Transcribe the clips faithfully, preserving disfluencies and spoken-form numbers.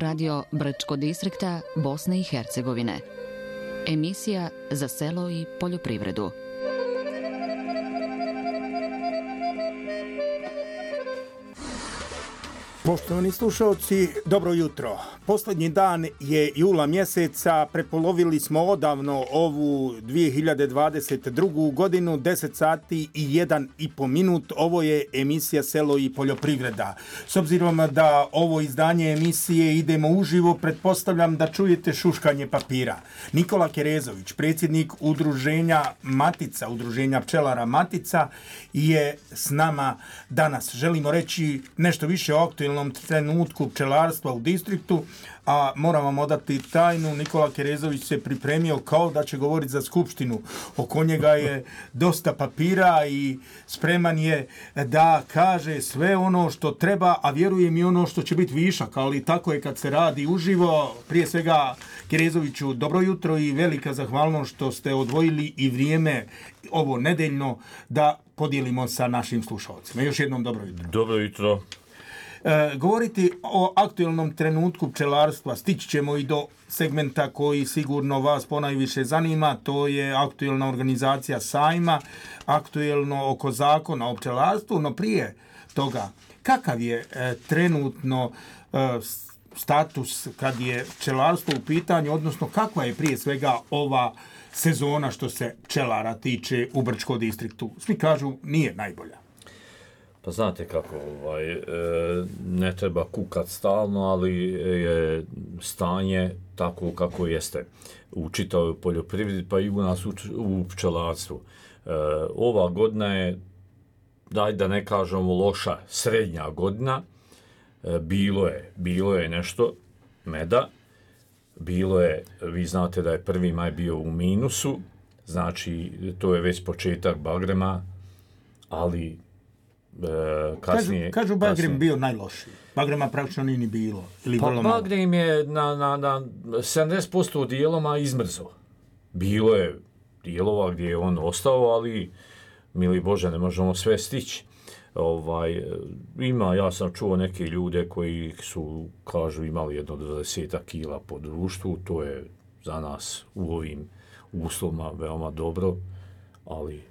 Radio Brčko distrikta Bosne i Hercegovine. Emisija za selo i poljoprivredu. Poštovani slušalci, dobro jutro. Posljednji dan je jula mjeseca, prepolovili smo odavno ovu dvije hiljade dvadeset drugu godinu, deset sati i jedan i po minut. Ovo je emisija Selo i poljoprivreda. S obzirom da ovo izdanje emisije idemo uživo, pretpostavljam da čujete šuškanje papira. Nikola Kerezović, predsjednik udruženja Matica, udruženja pčelara Matica, je s nama danas. Želimo reći nešto više o aktualnom trenutku pčelarstva u distriktu, a moram vam odati tajnu, Nikola Kerezović se pripremio kao da će govoriti za skupštinu. Oko njega je dosta papira i spreman je da kaže sve ono što treba, a vjerujem i ono što će biti višak, ali tako je kad se radi uživo. Prije svega, Kerezoviću, dobro jutro i velika zahvalnost što ste odvojili i vrijeme ovo nedeljno da podijelimo sa našim slušalcima. Još jednom dobro jutro. Dobro jutro. E, govoriti o aktualnom trenutku pčelarstva, stići ćemo i do segmenta koji sigurno vas ponajviše zanima, to je aktualna organizacija sajma, aktualno oko zakona o pčelarstvu, no prije toga, kakav je e, trenutno e, status kad je pčelarstvo u pitanju, odnosno kakva je prije svega ova sezona što se pčelara tiče u Brčko distriktu? Svi kažu nije najbolja. Pa znate kako, ovaj, e, ne treba kukat stalno, ali je stanje tako kako jeste u čitavoj poljoprivredi, pa i u nas u, u pčelarstvu. E, ova godina je, daj da ne kažemo loša, srednja godina, e, bilo je, bilo je nešto meda, bilo je, vi znate da je prvi maj bio u minusu, znači to je već početak bagrema, ali E, kasnije, kažu, kažu Bagrem bio najlošiji. Bagrema praktično nije ni bilo. Ili pa Bagrem je na, na, na sedamdeset posto dijeloma izmrzo. Bilo je dijelova gdje je on ostao, ali mili Bože, ne možemo sve stići. Ovaj, ima, ja sam čuo neke ljude koji su, kažu, imali jedno dvadeset kila po društvu, to je za nas u ovim uslovima veoma dobro, ali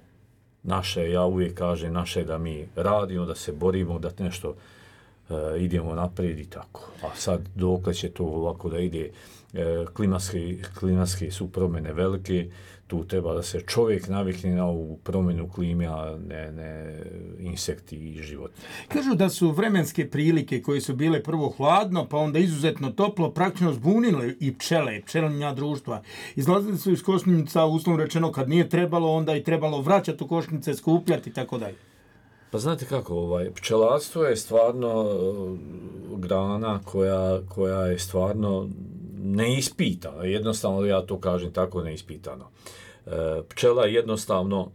naše, ja uvijek kažem, naše da mi radimo, da se borimo, da nešto e, idemo naprijed i tako. A sad dokle će to ovako da ide, e, klimatske, klimatske su promjene velike, tu treba da se čovjek navikne na ovu promjenu klime, a ne, ne insekti i životinje. Kažu da su vremenske prilike koje su bile prvo hladno, pa onda izuzetno toplo, praktično zbunile i pčele, pčelinja društva. Izlazili su iz košnica, uslovno rečeno, kad nije trebalo, onda i trebalo vraćati u košnice, skupljati i tako dalje. Pa znate kako, ovaj, pčelarstvo je stvarno uh, grana koja, koja je stvarno neispitana. Jednostavno, ja to kažem tako, neispitano. Uh, pčela jednostavno uh,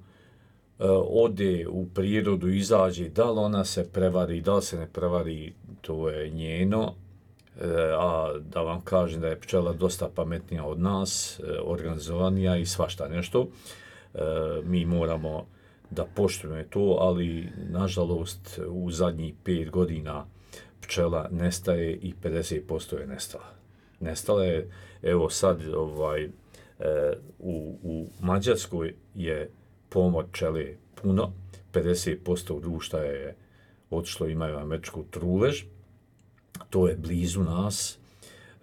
ode u prirodu, izađe, da li ona se prevari, da li se ne prevari, to je njeno. Uh, a da vam kažem da je pčela dosta pametnija od nas, uh, organizovanija i svašta nešto. Uh, mi moramo da poštujemo to, ali nažalost u zadnjih pet godina pčela nestaje i pedeset posto je nestala. Nestala je, evo sad ovaj, e, u, u Mađarskoj je pomor pčele puno, pedeset posto društva je otišlo, imaju američku trulež, to je blizu nas.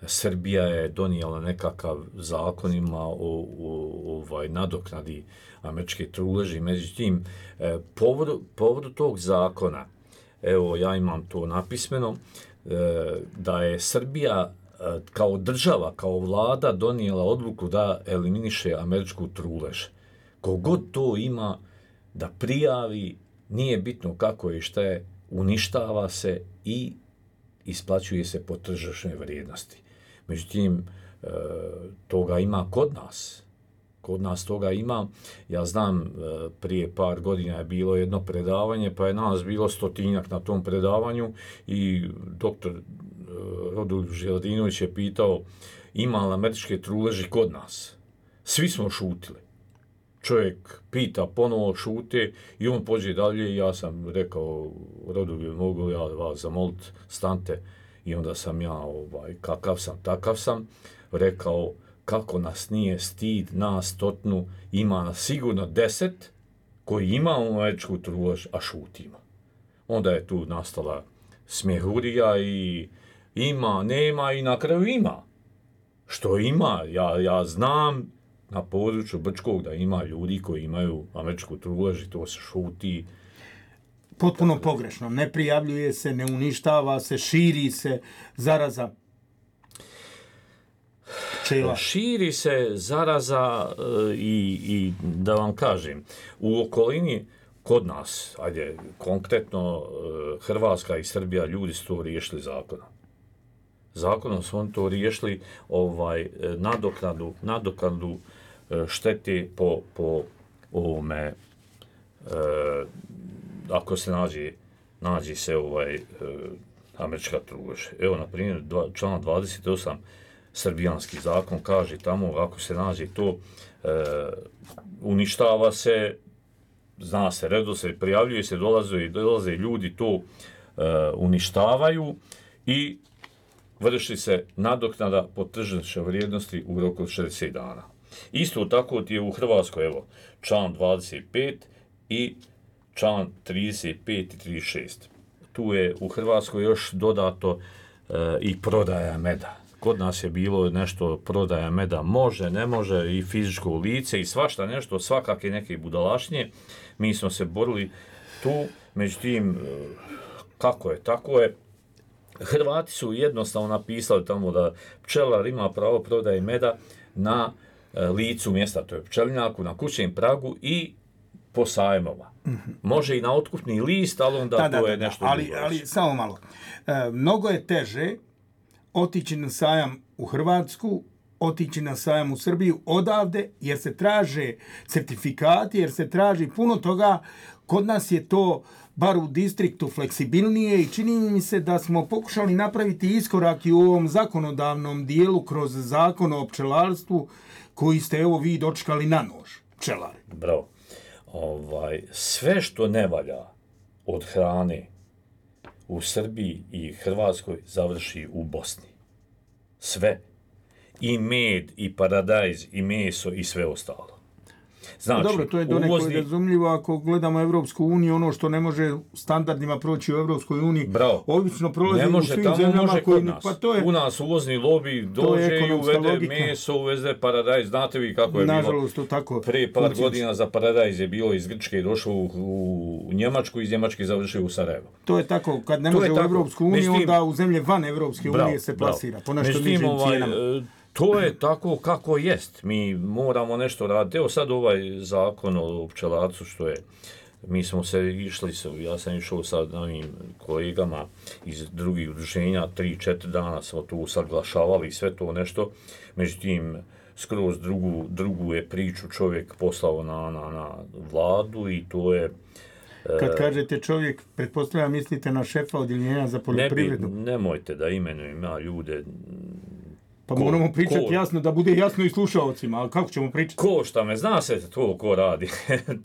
Srbija je donijela nekakav zakonima o, o ovaj, nadoknadi američke truleži. Međutim, e, povodu, povodu tog zakona, evo ja imam to napismeno, e, da je Srbija e, kao država, kao vlada donijela odluku da eliminiše američku trulež. Kogod to ima da prijavi, nije bitno kako je i šta je, uništava se i isplaćuje se po tržišnoj vrijednosti. Međutim, e, toga ima kod nas. Kod nas toga ima. Ja znam, e, prije par godina je bilo jedno predavanje, pa je nas bilo stotinjak na tom predavanju i doktor e, Rodolf Želdinović je pitao ima li američke truleži kod nas. Svi smo šutili. Čovjek pita, ponovo šute i on pođe dalje i ja sam rekao Rodolf, mogu li ja vas zamoliti, stante. I onda sam ja, ovaj, kakav sam, takav sam, rekao kako nas nije stid, nas stotnu, ima nas sigurno deset koji imamo američku trulež, a šutimo. Onda je tu nastala smjehurija i ima, nema i na kraju ima. Što ima, ja, ja znam na području Brčkog da ima ljudi koji imaju američku trulež i to se šuti. Potpuno pogrešno. Ne prijavljuje se, ne uništava se, širi se zaraza pčela. Širi se zaraza i, i da vam kažem, u okolini kod nas, ajde, konkretno Hrvatska i Srbija, ljudi su to riješili zakonom. Zakonom su oni to riješili ovaj, nadoknadu, nadoknadu štete po, po ovome, e, ako se nađe, nađe se ovaj, e, američka trulež. Evo, na primjer, dva, članak dvadeset osam srbijanski zakon kaže tamo, ako se nađe to, e, uništava se, zna se, redoslijed, prijavljuje se, dolaze, dolaze ljudi, to e, uništavaju i vrši se nadoknada po tržišnoj vrijednosti u roku od šezdeset dana. Isto tako je u Hrvatskoj, evo, član dvadeset pet i član trideset pet i trideset šest. Tu je u Hrvatskoj još dodato e, i prodaja meda. Kod nas je bilo nešto prodaja meda, može, ne može, i fizičko lice i svašta nešto, svakake neke budalašnje. Mi smo se borili tu, međutim, kako je, tako je. Hrvati su jednostavno napisali tamo da pčelar ima pravo prodaje meda na e, licu mjesta, to je pčelinjaku, na kućnom pragu i po sajmova. Mm-hmm. Može i na otkupni list, ali onda da, to da, je da, nešto ali, drugo. Ali samo malo. E, mnogo je teže otići na sajam u Hrvatsku, otići na sajam u Srbiju odavde, jer se traže certifikati, jer se traži puno toga. Kod nas je to bar u distriktu fleksibilnije i čini mi se da smo pokušali napraviti iskorak i u ovom zakonodavnom dijelu kroz zakon o pčelarstvu koji ste evo vi dočekali na nož, pčelari. Bravo. Ovaj, sve što ne valja od hrane u Srbiji i Hrvatskoj završi u Bosni. Sve. I med, i paradajz, i meso, i sve ostalo. Znači, dobro, to je donekle uvozni... razumljivo ako gledamo Evropsku uniju, ono što ne može standardima proći u Evropskoj uniji, obično prolazi u svim zemljama koji... Pa to je, u nas uvozni lobi dođe i uvede logika. Meso, uvede paradajz. Znate vi kako je nažalost, bilo? To tako. Pre par učinci. godina za paradajz je bilo iz Grčke i došlo u, u Njemačku, iz Njemačke završio u Sarajevo. To je tako, kad ne to može u Evropsku uniju, Mislim, onda u zemlje van Evropske bravo, unije se plasira. Po nešto nižim ovaj, cijenama. To je tako kako jest. Mi moramo nešto raditi. Evo sad ovaj zakon o pčelarcu što je, mi smo se išli, ja sam išao sa novim kolegama iz drugih udruženja, tri, četiri dana smo tu usaglašavali i sve to nešto. Međutim, skroz drugu, drugu je priču čovjek poslao na, na, na vladu i to je... Kad kažete čovjek, pretpostavljam mislite na šefa odjeljenja za poljoprivredu. Ne bi, nemojte da imenujem ja ljude... Pa ko, moramo pričati ko, jasno, da bude jasno i slušalcima, ali kako ćemo pričati? Ko šta me, zna se to ko radi,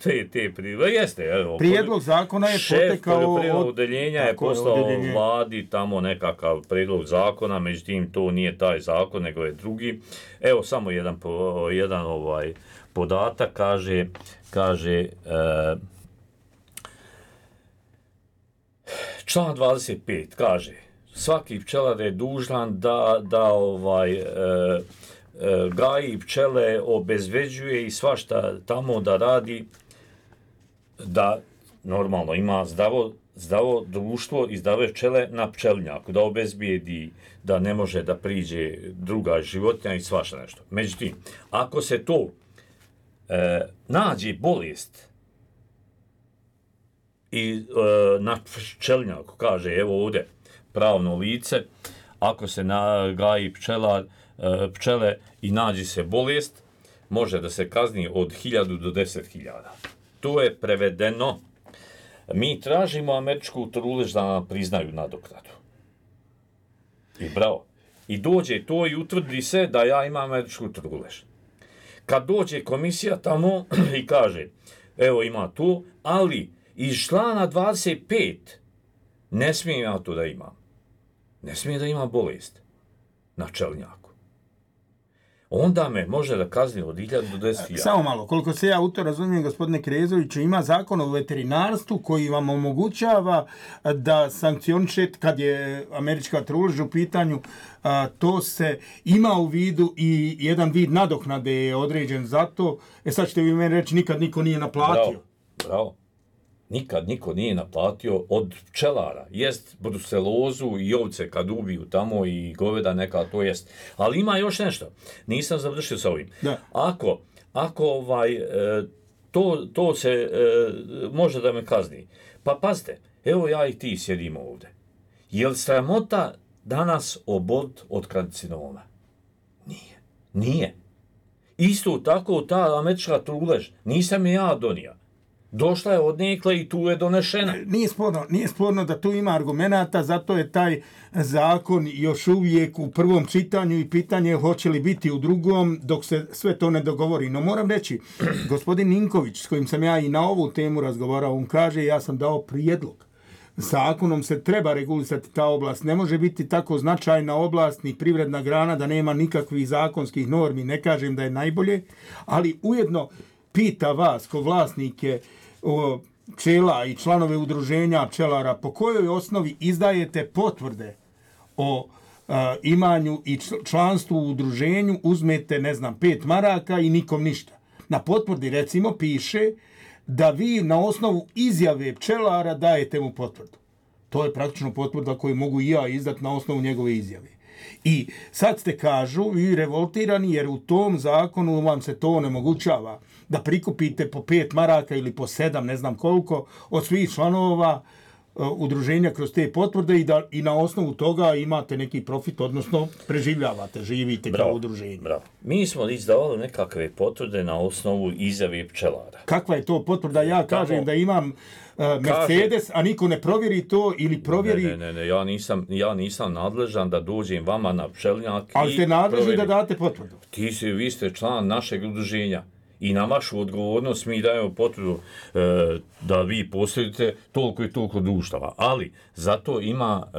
te, te prijedlog, jeste. Evo, prijedlog zakona je potekao... Šef poljoprivrednog odjeljenja je poslao odjeljenje. Vladi tamo nekakav prijedlog zakona, međutim to nije taj zakon, nego je drugi. Evo samo jedan, jedan ovaj podatak, kaže, kaže e, član dvadeset pet, kaže, svaki pčelar je dužan da, da ovaj, e, e, gaji pčele, obezveđuje i svašta tamo da radi, da normalno ima zdravo, zdravo društvo i zdrave pčele na pčelinjaku, da obezbijedi da ne može da priđe druga životinja i svašta nešto. Međutim, ako se to e, nađe bolest i e, na pčelinjaku, kaže evo ovdje, pravno lice, ako se na, gaji pčelar, pčele i nađi se bolest, može da se kazni od hiljadu do deset hiljada. To je prevedeno. Mi tražimo američku trulež da nam priznaju nadoknadu. I bravo. I dođe to i utvrdi se da ja imam američku trulež. Kad dođe komisija tamo i kaže, evo ima tu, ali iz člana dvadeset pet ne smijem ja to da imam. ne smije da ima bolest na pčelinjaku. Onda me može da kazni od hiljadu do deset hiljada. Samo malo, koliko se ja u to razumijem, gospodine Krezoviću, ima zakon o veterinarstvu koji vam omogućava da sankcionišete, kad je američka trulež u pitanju, a, to se ima u vidu i jedan vid nadoknade je određen za to. E sad ćete vi meni reći, nikad niko nije naplatio. Bravo, bravo. Nikad niko nije naplatio od pčelara. Jest brucelozu i ovce kad ubiju tamo i goveda neka, to jest. Ali ima još nešto. Nisam završio sa ovim. Da. Ako, ako ovaj, e, to, to se e, može da me kazni. Pa pazite, evo ja i ti sjedimo ovdje. Je li sramota danas obolt od karcinoma? Nije. Nije. Isto tako ta američka trulež. Nisam je ja donio. Došla je od nekle i tu je donešena. Nije sporno, nije sporno da tu ima argumenata, zato je taj zakon još uvijek u prvom čitanju i pitanje je hoće li biti u drugom dok se sve to ne dogovori. No moram reći, gospodin Ninković, s kojim sam ja i na ovu temu razgovarao, on kaže ja sam dao prijedlog. Zakonom se treba regulisati ta oblast. Ne može biti tako značajna oblast ni privredna grana da nema nikakvih zakonskih normi. Ne kažem da je najbolje, ali ujedno pita vas, ko vlasnike o, pčela i članove udruženja pčelara, po kojoj osnovi izdajete potvrde o a, imanju i članstvu u udruženju, uzmete, ne znam, pet maraka i nikom ništa. Na potvrdi, recimo, piše da vi na osnovu izjave pčelara dajete mu potvrdu. To je praktično potvrda koju mogu i ja izdati na osnovu njegove izjave. I sad ste kažu vi revoltirani jer u tom zakonu vam se to onemogućava da prikupite po pet maraka ili po sedam, ne znam koliko, od svih članova uh, udruženja kroz te potvrde i da i na osnovu toga imate neki profit, odnosno preživljavate, živite bravo, kao udruženje. Bravo. Mi smo izdavali nekakve potvrde na osnovu izjave pčelara. Kakva je to potvrda? Ja kažem Tamo... da imam uh, Mercedes, Kaže, a niko ne provjeri to ili provjeri... Ne, ne, ne, ja nisam, ja nisam nadležan da dođem vama na pčelinjak i Ali ste nadležni da date potvrdu. Ti si, vi ste član našeg udruženja. I na vašu odgovornost mi dajemo potvrdu e, da vi posjedite toliko i toliko društava. Ali zato ima e,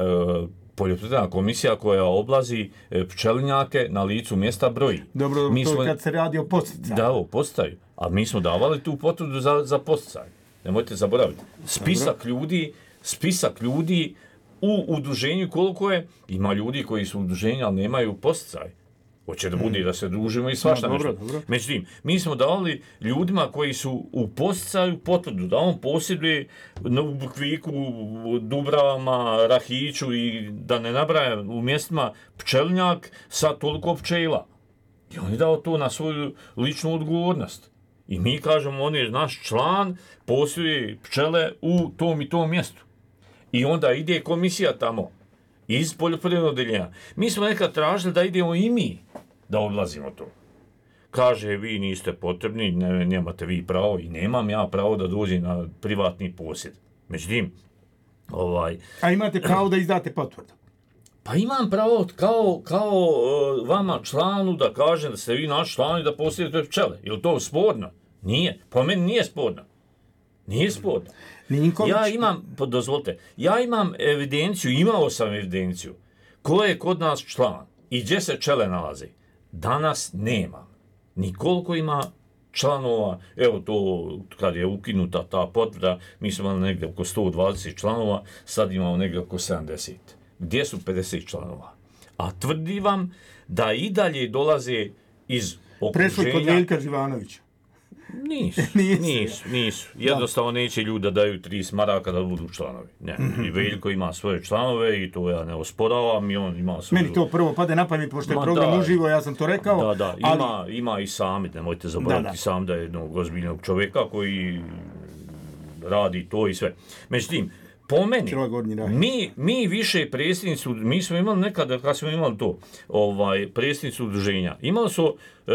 poljoprivredna komisija koja oblazi e, pčelinjake na licu mjesta broji. Dobro, mi to smo, kad se radi o posticaju. Da, o posticaju. A mi smo davali tu potvrdu za, za posticaj. Nemojte zaboraviti. Spisak Dobro. ljudi, spisak ljudi u udruženju koliko je, ima ljudi koji su u udruženju, ali nemaju posticaj. Hoće da bude da se družimo i svašta no, dobro, nešto. Dobro. Međutim, mi smo davali ljudima koji su u posticaju potvrdu da on posjeduje u Bukviku, Dubravama, Rahiću i da ne nabrajam u mjestima pčelinjak sa toliko pčela. I on je dao to na svoju ličnu odgovornost. I mi kažemo, on je naš član, posjeduje pčele u tom i tom mjestu. I onda ide komisija tamo iz poljoprivrednog odeljenja. Mi smo nekad tražili da idemo i mi da odlazimo to. Kaže, vi niste potrebni, ne, nemate vi pravo i nemam ja pravo da dođem na privatni posjed. Međutim, ovaj... A imate pravo da izdate potvrdu? Pa imam pravo kao, kao uh, vama članu da kažem da ste vi naš član i da posjedite pčele. Je li to sporno? Nije. Po meni nije sporno. Nije sporno. Ninković. Ja imam, dozvolite, ja imam evidenciju, imao sam evidenciju, ko je kod nas član i gdje se pčele nalaze. Danas nemam. Ni koliko ima članova, evo to, kad je ukinuta ta potvrda, mi smo imali negdje oko sto dvadeset članova, sad imamo negdje oko sedamdeset. Gdje su pedeset članova? A tvrdi vam da i dalje dolaze iz okruženja... Prešli kod Veljka Živanovića. Nisu, nisu, nisu. Jednostavno neće ljudi da daju trideset maraka da budu članovi. Ne, mm-hmm. I Veljko ima svoje članove i to ja ne osporavam i on ima svoju... Meni to prvo pade na pamet, pošto je Ma program da, uživo, ja sam to rekao. Da, da, ima, ali... ima i sami, nemojte zaboraviti da, da. sam da je jednog ozbiljnog čovjeka koji radi to i sve. Međutim, po meni, mi, mi više predsjednicu, mi smo imali nekada, kad smo imali to, ovaj, predsjednicu udruženja, imali su, e,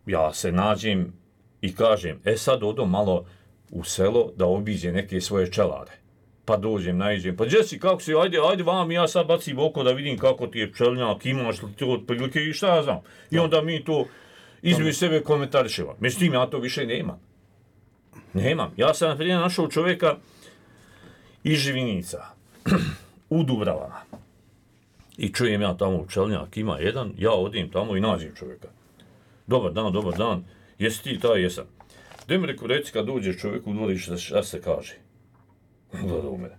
ja se nađem i kažem, e sad odom malo u selo da obiđe neke svoje pčelare. Pa dođem, naiđem, pa Jesse, kako si, ajde, ajde vam, ja sad bacim oko da vidim kako ti je pčelinjak, imaš li ti otprilike i šta ja znam. I onda mi to između sebe komentarišemo. Međutim, ja to više nemam. Nemam. Ja sam naprijed našao čovjeka iz Živinica, u Dubravama. I čujem ja tamo pčelnjak, ima jedan, ja odim tamo i nađem čovjeka. Dobar dan, dobar dan, jesi ti taj, jesam. Gdje mi rekao, reci kad uđeš čovjeku u dvorište, šta se kaže? Gleda u mene.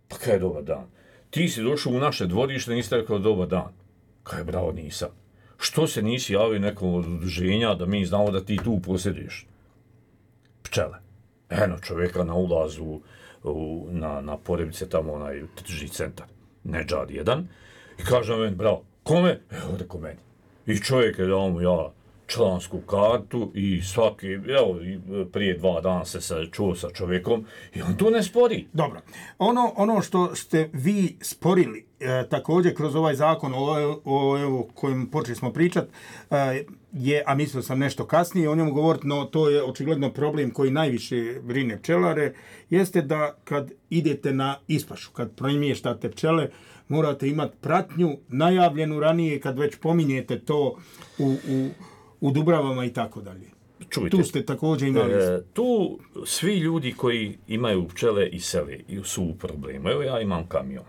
Pa kaj je dobar dan? Ti si došao u naše dvorište, nisi rekao dobar dan. Kaj je, bravo, nisam. Što se nisi javio nekom od udruženja da mi znamo da ti tu posjediš? Pčele. Eno čovjeka na ulazu u, na, na Porebice, tamo onaj tržni centar. Nedžad jedan. I kaže meni, bravo, kome? Evo, reko meni. I čovjek je dao mu ja člansku kartu i svaki, evo, prije dva dana se sa, čuo sa čovjekom i on to ne spori. Dobro. Ono, ono što ste vi sporili e, također kroz ovaj zakon o, o, o kojem počeli smo pričati e, je, a mislio sam nešto kasnije o njemu govoriti, no to je očigledno problem koji najviše brine pčelare, jeste da kad idete na ispašu, kad premještate pčele, morate imati pratnju najavljenu ranije kad već pominjete to u, u u Dubravama i tako dalje. Čujte, tu ste također imali... E, tu svi ljudi koji imaju pčele i sele su u problemu. Evo ja imam kamion.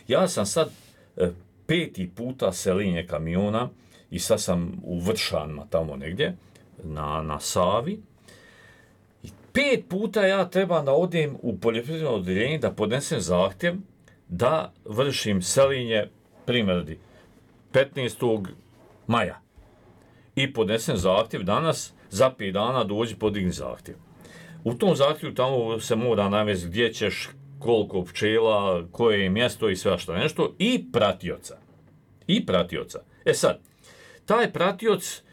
Ja sam sad e, peti puta selinje kamiona i sad sam u Vršanima tamo negdje na, na Savi. I pet puta ja trebam da odem u poljoprivredno odjeljenje da podnesem zahtjev da vršim selinje primjerdi petnaestog maja. I podnesem zahtjev danas, za pet dana dođi podigni zahtjev. U tom zahtjevu tamo se mora navesti gdje ćeš, koliko pčela, koje je mjesto i sve što nešto, i pratioca. I pratioca. E sad, taj pratioc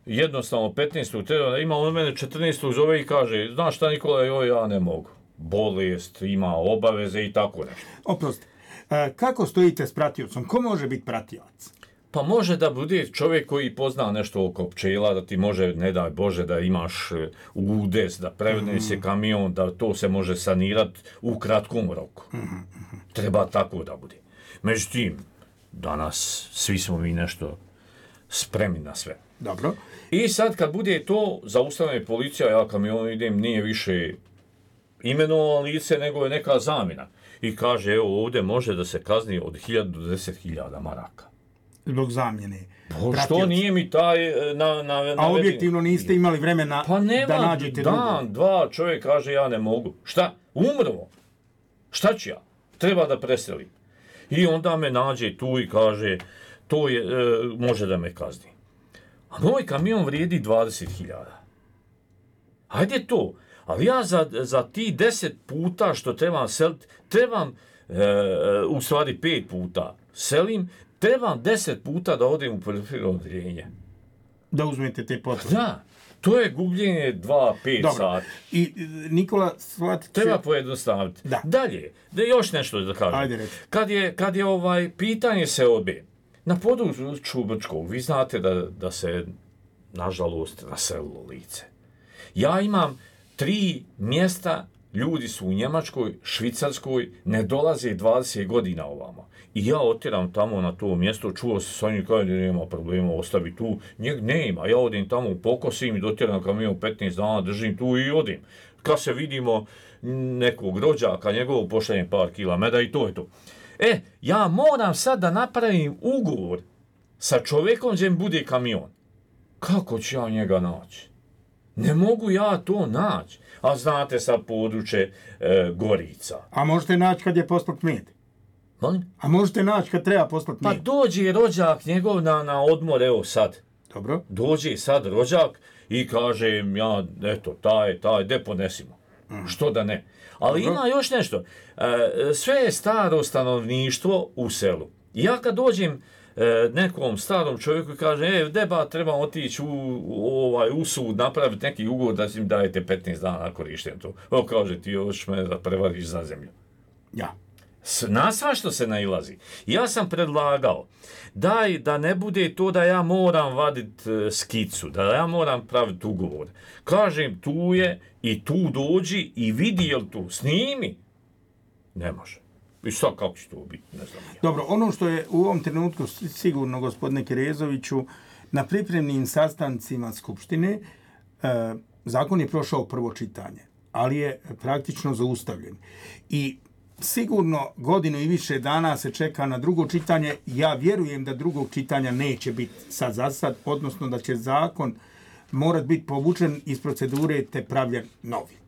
jednostavno petnaestog treba, ima on mene četrnaestog zove i kaže, znaš šta Nikola, joj, ja ne mogu. Bolest, ima obaveze i tako nešto. Oprosti, e, kako stojite s pratiocom? Ko može biti pratioc? Pa može da bude čovjek koji pozna nešto oko pčela, da ti može, ne daj Bože, da imaš udes, da prevedne se kamion, da to se može sanirati u kratkom roku. Treba tako da bude. Međutim, danas svi smo mi nešto spremni na sve. Dobro. I sad kad bude to, zaustavljena policija, ja kamion idem, nije više imenovano lice, nego je neka zamjena. I kaže, evo ovdje može da se kazni od hiljadu do deset hiljada maraka. Zbog zamjene. Po što nije mi taj na, na, A objektivno niste imali vremena pa nema, da nađete dan, drugo? dva čovjek kaže ja ne mogu. Šta? Umrlo. Šta ću ja? Treba da preselim. I onda me nađe tu i kaže to je, e, može da me kazni. A moj kamion vrijedi dvadeset hiljada. Hajde to. Ali ja za, za ti deset puta što trebam seliti, trebam e, u stvari pet puta selim, trebam deset puta da odem u poljoprivredno odjeljenje. Da uzmete te potvrde. Da, to je gubljenje dva pet sati. I Nikola, shvatit će... Treba pojednostaviti. Da. Dalje, da još nešto da kažem. Ajde, reći. Kad je, kad je ovaj pitanje seobe, na području Brčkog, vi znate da, da se, nažalost, raselilo lice. Ja imam tri mjesta, ljudi su u Njemačkoj, Švicarskoj, ne dolaze dvadeset godina ovamo. I ja otiram tamo na to mjesto, čuo se sa njim, kao nema problema, ostavi tu. Njeg nema, ja odim tamo u pokosim i dotiram kamion petnaest dana, držim tu i odim. Kad se vidimo nekog rođaka, njegovo pošaljem par kila meda i to je to. E, ja moram sad da napravim ugovor sa čovjekom gdje mi bude kamion. Kako ću ja njega naći? Ne mogu ja to naći. A znate sad područje e, Gorica. A možete naći kad je poslat med? Molim? A možete naći kad treba poslat med? Pa dođe rođak njegov na, na odmor, evo sad. Dobro. Dođe sad rođak i kaže ja, eto, taj, taj, de ponesimo. Mm. Što da ne. Ali dobro. Ima još nešto. E, sve je staro stanovništvo u selu. Ja kad dođem e, nekom starom čovjeku i kaže, e, deba, treba otići u, u, ovaj, u sud, napraviti neki ugovor da im dajete petnaest dana korištenje to. O, kaže, ti još me da prevariš za zemlju. Ja. Na sva što se nailazi. Ja sam predlagao, daj da ne bude to da ja moram vaditi skicu, da ja moram praviti ugovor. Kažem, tu je i tu dođi i vidi jel tu, snimi. Ne može. I sad kako će to biti, ne znam. Ja. Dobro, ono što je u ovom trenutku sigurno, gospodine Kerezoviću, na pripremnim sastancima Skupštine, eh, zakon je prošao prvo čitanje, ali je praktično zaustavljen. I sigurno godinu i više dana se čeka na drugo čitanje. Ja vjerujem da drugog čitanja neće biti sad za sad, odnosno da će zakon morat biti povučen iz procedure te pravljen novi.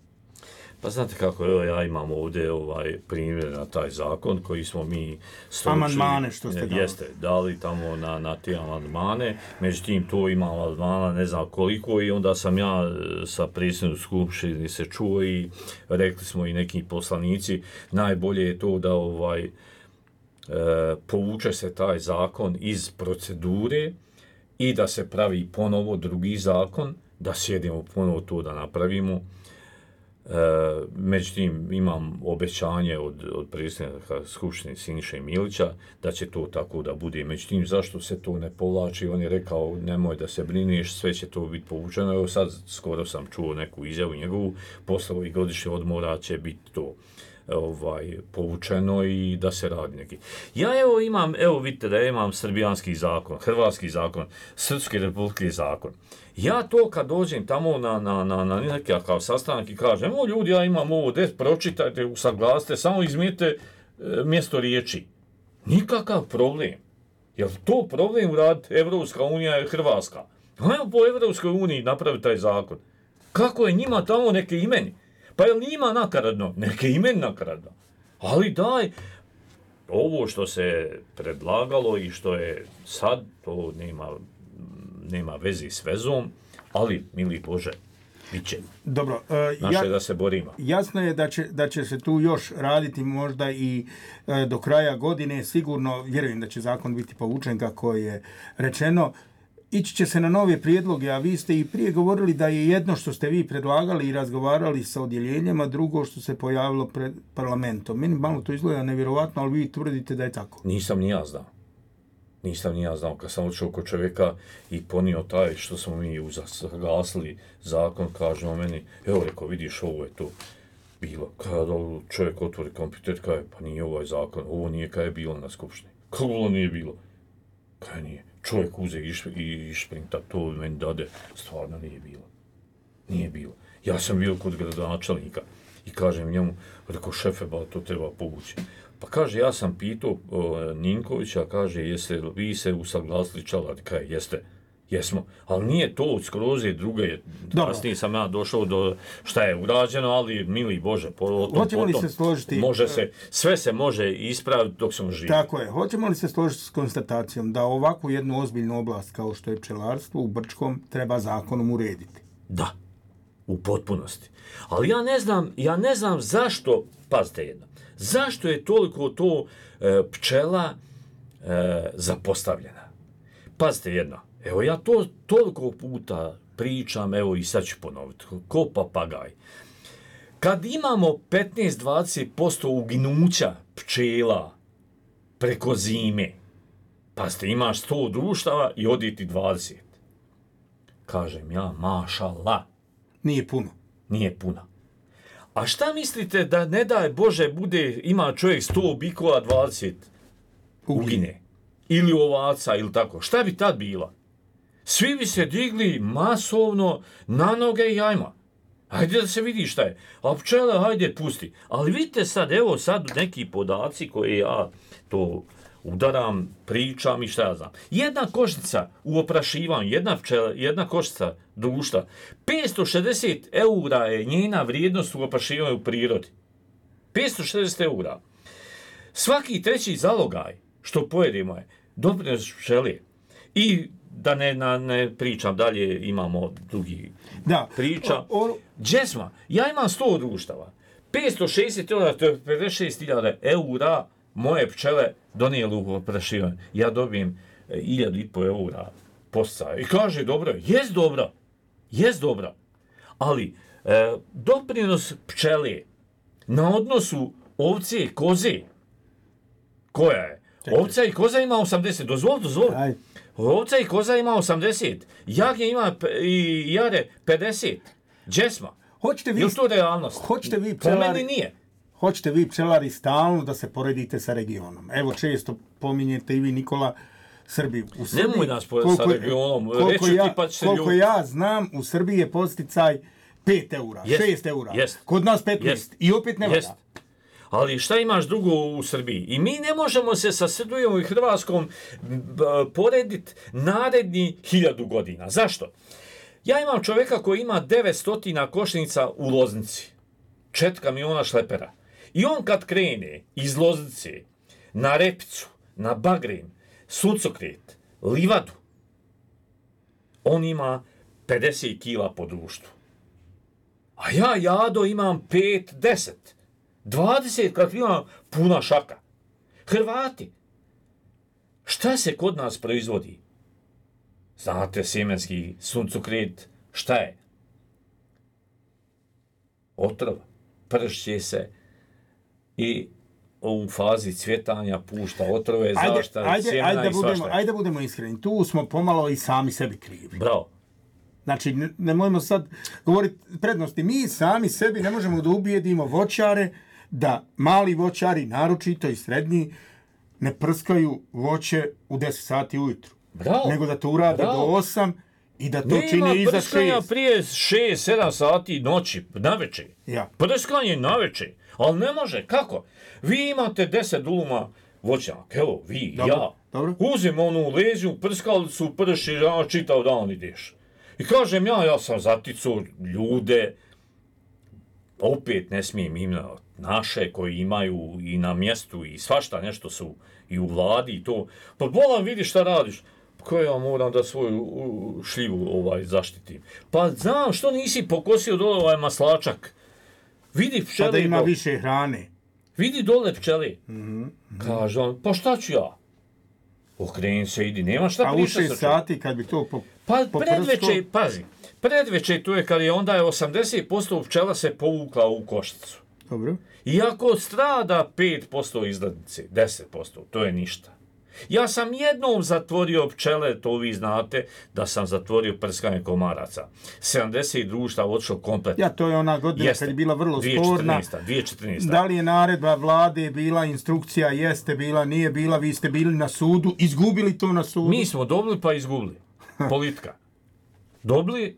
Pa znate kako, evo ja imam ovdje ovaj primjer na taj zakon koji smo mi stručili. Amandmane što ste dali. Jeste, dali tamo na, na te amandmane, međutim to ima amandmana ne znam koliko i onda sam ja sa predsjednom skupštine se čuo i rekli smo i neki poslanici, najbolje je to da ovaj e, povuče se taj zakon iz procedure i da se pravi ponovo drugi zakon, da sjedimo ponovo to da napravimo. E, međutim, imam obećanje od, od predsjednika Skupštine Siniše Milića da će to tako da bude. Međutim, zašto se to ne povlači? On je rekao, nemoj da se brineš, sve će to biti povučeno. Evo sad skoro sam čuo neku izjavu njegovu, posle ovih godišnjih odmora će biti to ovaj povučeno i da se radi neki. Ja evo imam, evo vidite da imam srbijanski zakon, hrvatski zakon, srpski republički zakon. Ja to kad dođem tamo na, na, na, na nekakav sastanak i kažem, o ljudi, ja imam ovo, des, pročitajte, usaglasite, samo izmijenite e, mjesto riječi. Nikakav problem. Je li to problem uraditi Evropska unija i Hrvatska? Ajmo po Evropskoj uniji napraviti taj zakon. Kako je njima tamo neke imeni? Pa je li njima nakaradno? Neke imeni nakaradno. Ali daj, ovo što se predlagalo i što je sad, to nema, nema veze s vezom, ali, mili Bože, bit će. Dobro. Uh, Naše ja, da se borimo. Jasno je da će, da će se tu još raditi možda i uh, do kraja godine. Sigurno, vjerujem da će zakon biti povučen kako je rečeno. Ići će se na nove prijedloge, a vi ste i prije govorili da je jedno što ste vi predlagali i razgovarali sa odjeljenjama, drugo što se pojavilo pred parlamentom. Meni malo to izgleda nevjerovatno, ali vi tvrdite da je tako. Nisam ni ja znao. Nisam ni ja znao. Kad sam odšao kod čovjeka i ponio taj što smo mi uzaglasili zakon, kaže o meni, evo reko, vidiš, ovo je to bilo. Kada čovjek otvori kompjuter, kaže, pa nije ovaj zakon, ovo nije kada je bilo na skupštini. Kako ovo nije bilo? Kada nije? Čovjek uze i išprinta, to meni dade, stvarno nije bilo. Nije bilo. Ja sam bio kod gradonačelnika i kažem njemu, rekao, šefe, ba, to treba povući. Pa kaže, ja sam pitao o, Ninkovića, kaže, jeste vi se usaglasili Čalad? Kaj, jeste, jesmo. Ali nije to skroz je druge. Kasnije sam ja došao do šta je urađeno, ali mili Bože, potom, Hoćemo li se složiti? Može se, sve se može ispraviti dok smo živi. Tako je. Hoćemo li se složiti s konstatacijom da ovakvu jednu ozbiljnu oblast kao što je pčelarstvo u Brčkom treba zakonom urediti? Da, u potpunosti. Ali ja ne znam, ja ne znam zašto, pazite jedno, zašto je toliko to e, pčela e, zapostavljena. Pazite jedno, evo ja to toliko puta pričam, evo i sad ću ponoviti, ko papagaj. Kad imamo petnaest do dvadeset posto uginuća pčela preko zime, pazite, imaš sto društava i oditi dvadeset. Kažem ja, mašala. Nije puno. Nije puno. A šta mislite da ne daj Bože bude, ima čovjek sto bikova, dvadeset ugine? Ili ovaca, ili tako. Šta bi tad bila? Svi bi se digli masovno na noge i jajma. Hajde da se vidi šta je. A pčele, hajde, pusti. Ali vidite sad, evo sad neki podaci koje ja to udaram, pričam i šta ja znam. Jedna koštica u oprašivanju, jedna pčela, jedna koštica društva, petsto šezdeset eura je njena vrijednost u oprašivanju u prirodi. petsto šezdeset eura. Svaki treći zalogaj što pojedemo je doprinos pčele. I da ne, na, ne pričam dalje, imamo drugi da. priča. O, o... Džesma, ja imam sto društava. petsto šezdeset eura, to je pedeset šest hiljada eura moje pčele donijeli u oprašivanje. Ja dobijem hiljadu i po eura postaje. I kaže, dobro, jest dobro, jest dobro. Ali e, doprinos pčele na odnosu ovce i koze, koja je? Čekaj. Ovca i koza ima osamdeset, dozvol, dozvol. Aj. Ovca i koza ima osamdeset, jage ima i jare pedeset, džesma. Hoćete vi, je to realnost? Hoćete vi pčelari, po meni nije. Hoćete vi pčelari stalno da se poredite sa regionom. Evo često pominjete i vi, Nikola, Srbiju. U Srbiji, nemoj nas porediti sa regionom, koliko, ja, pa koliko ja znam, u Srbiji je posticaj pet eura, jest, šest eura. Jest, kod nas petnaest jest, i opet ne valja. Ali šta imaš drugo u Srbiji? I mi ne možemo se sa Srbijom i Hrvatskom porediti naredni hiljadu godina. Zašto? Ja imam čovjeka koji ima devetsto košnica u Loznici. četiri kamiona šlepera. I on kad krene iz Loznice na Repicu, na Bagrin, Suncokret, Livadu, on ima pedeset kila po društvu. A ja, jado, imam pet, deset. dvadeset kad imam puna šaka. Hrvati. Šta se kod nas proizvodi? Znate, sjemenski suncokret, šta je? Otrov. Pršće se i u fazi cvjetanja pušta otrove, zašta, ajde, sjemena ajde, i svašta. budemo, ajde budemo iskreni. Tu smo pomalo i sami sebi krivi. Bravo. Znači, ne, ne mojemo sad govoriti prednosti. Mi sami sebi ne možemo da ubijedimo voćare da mali voćari, naročito i srednji, ne prskaju voće u deset sati ujutru. Bravo. Nego da to urade Bravo. do osam i da to Nema čine iza prskanja šest. prije šest sedam sati noći, naveče. Ja. Prskanje naveče. Ali ne može, kako? Vi imate deset duluma voćnjaka, evo, vi, Dobro, ja. dobro. Uzem onu leđu, prskalicu, prši, ja čitav dan ideš. I kažem ja, ja sam zaticao ljude, opet ne smijem imena naše koji imaju i na mjestu i svašta nešto su i u vladi i to. Pa bolam vidi šta radiš. Ko ja moram da svoju šljivu ovaj zaštitim. Pa znam što nisi pokosio dole ovaj maslačak. Vidi pčele. Pa da ima do... više hrane. Vidi dole pčele. Mm-hmm. Kaže on, pa šta ću ja? Okreni se, idi, nema šta A u priča šest sati kad bi to po, Pa po predveče, prsko... pazi, predveče to je kad je onda je osamdeset posto pčela se povukla u košnicu. Dobro. Iako strada pet posto izglednice, deset posto, to je ništa. Ja sam jednom zatvorio pčele, to vi znate, da sam zatvorio prskanje komaraca. sedamdeset društva odšlo kompletno. Ja, to je ona godina jeste. kad je bila vrlo dvije hiljade sporna. četrnaesta. dvije hiljade četrnaesta. Da li je naredba vlade bila, instrukcija jeste bila, nije bila, vi ste bili na sudu, izgubili to na sudu. Mi smo dobili pa izgubili. Politika. Dobili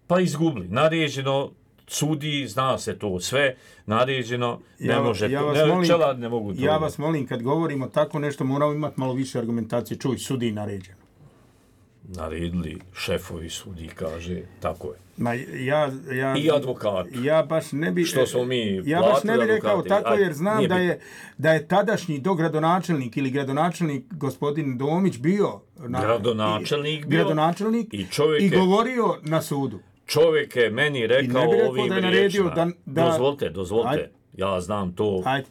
pa izgubili. Naređeno, sudi, zna se to sve, naređeno, ne ja, može, ja ne, molim, čela ne mogu to. Ja vas molim, kad govorimo tako nešto, moramo imati malo više argumentacije. Čuj, sudi naređeno. Naredili šefovi sudi, kaže, tako je. Ma, ja, ja, I advokati. Ja baš ne bi, Što smo mi ja baš ne bi rekao advokati. tako, jer znam Aj, da je, da je tadašnji dogradonačelnik ili gradonačelnik gospodin Domić bio na, Gradonačelnik i, bio gradonačelnik i, čovjek i je, govorio na sudu. čovjek je meni rekao, rekao ovim da je riječima. Da, da, dozvolite, dozvolite. Ajde. Ja znam to. Ajde.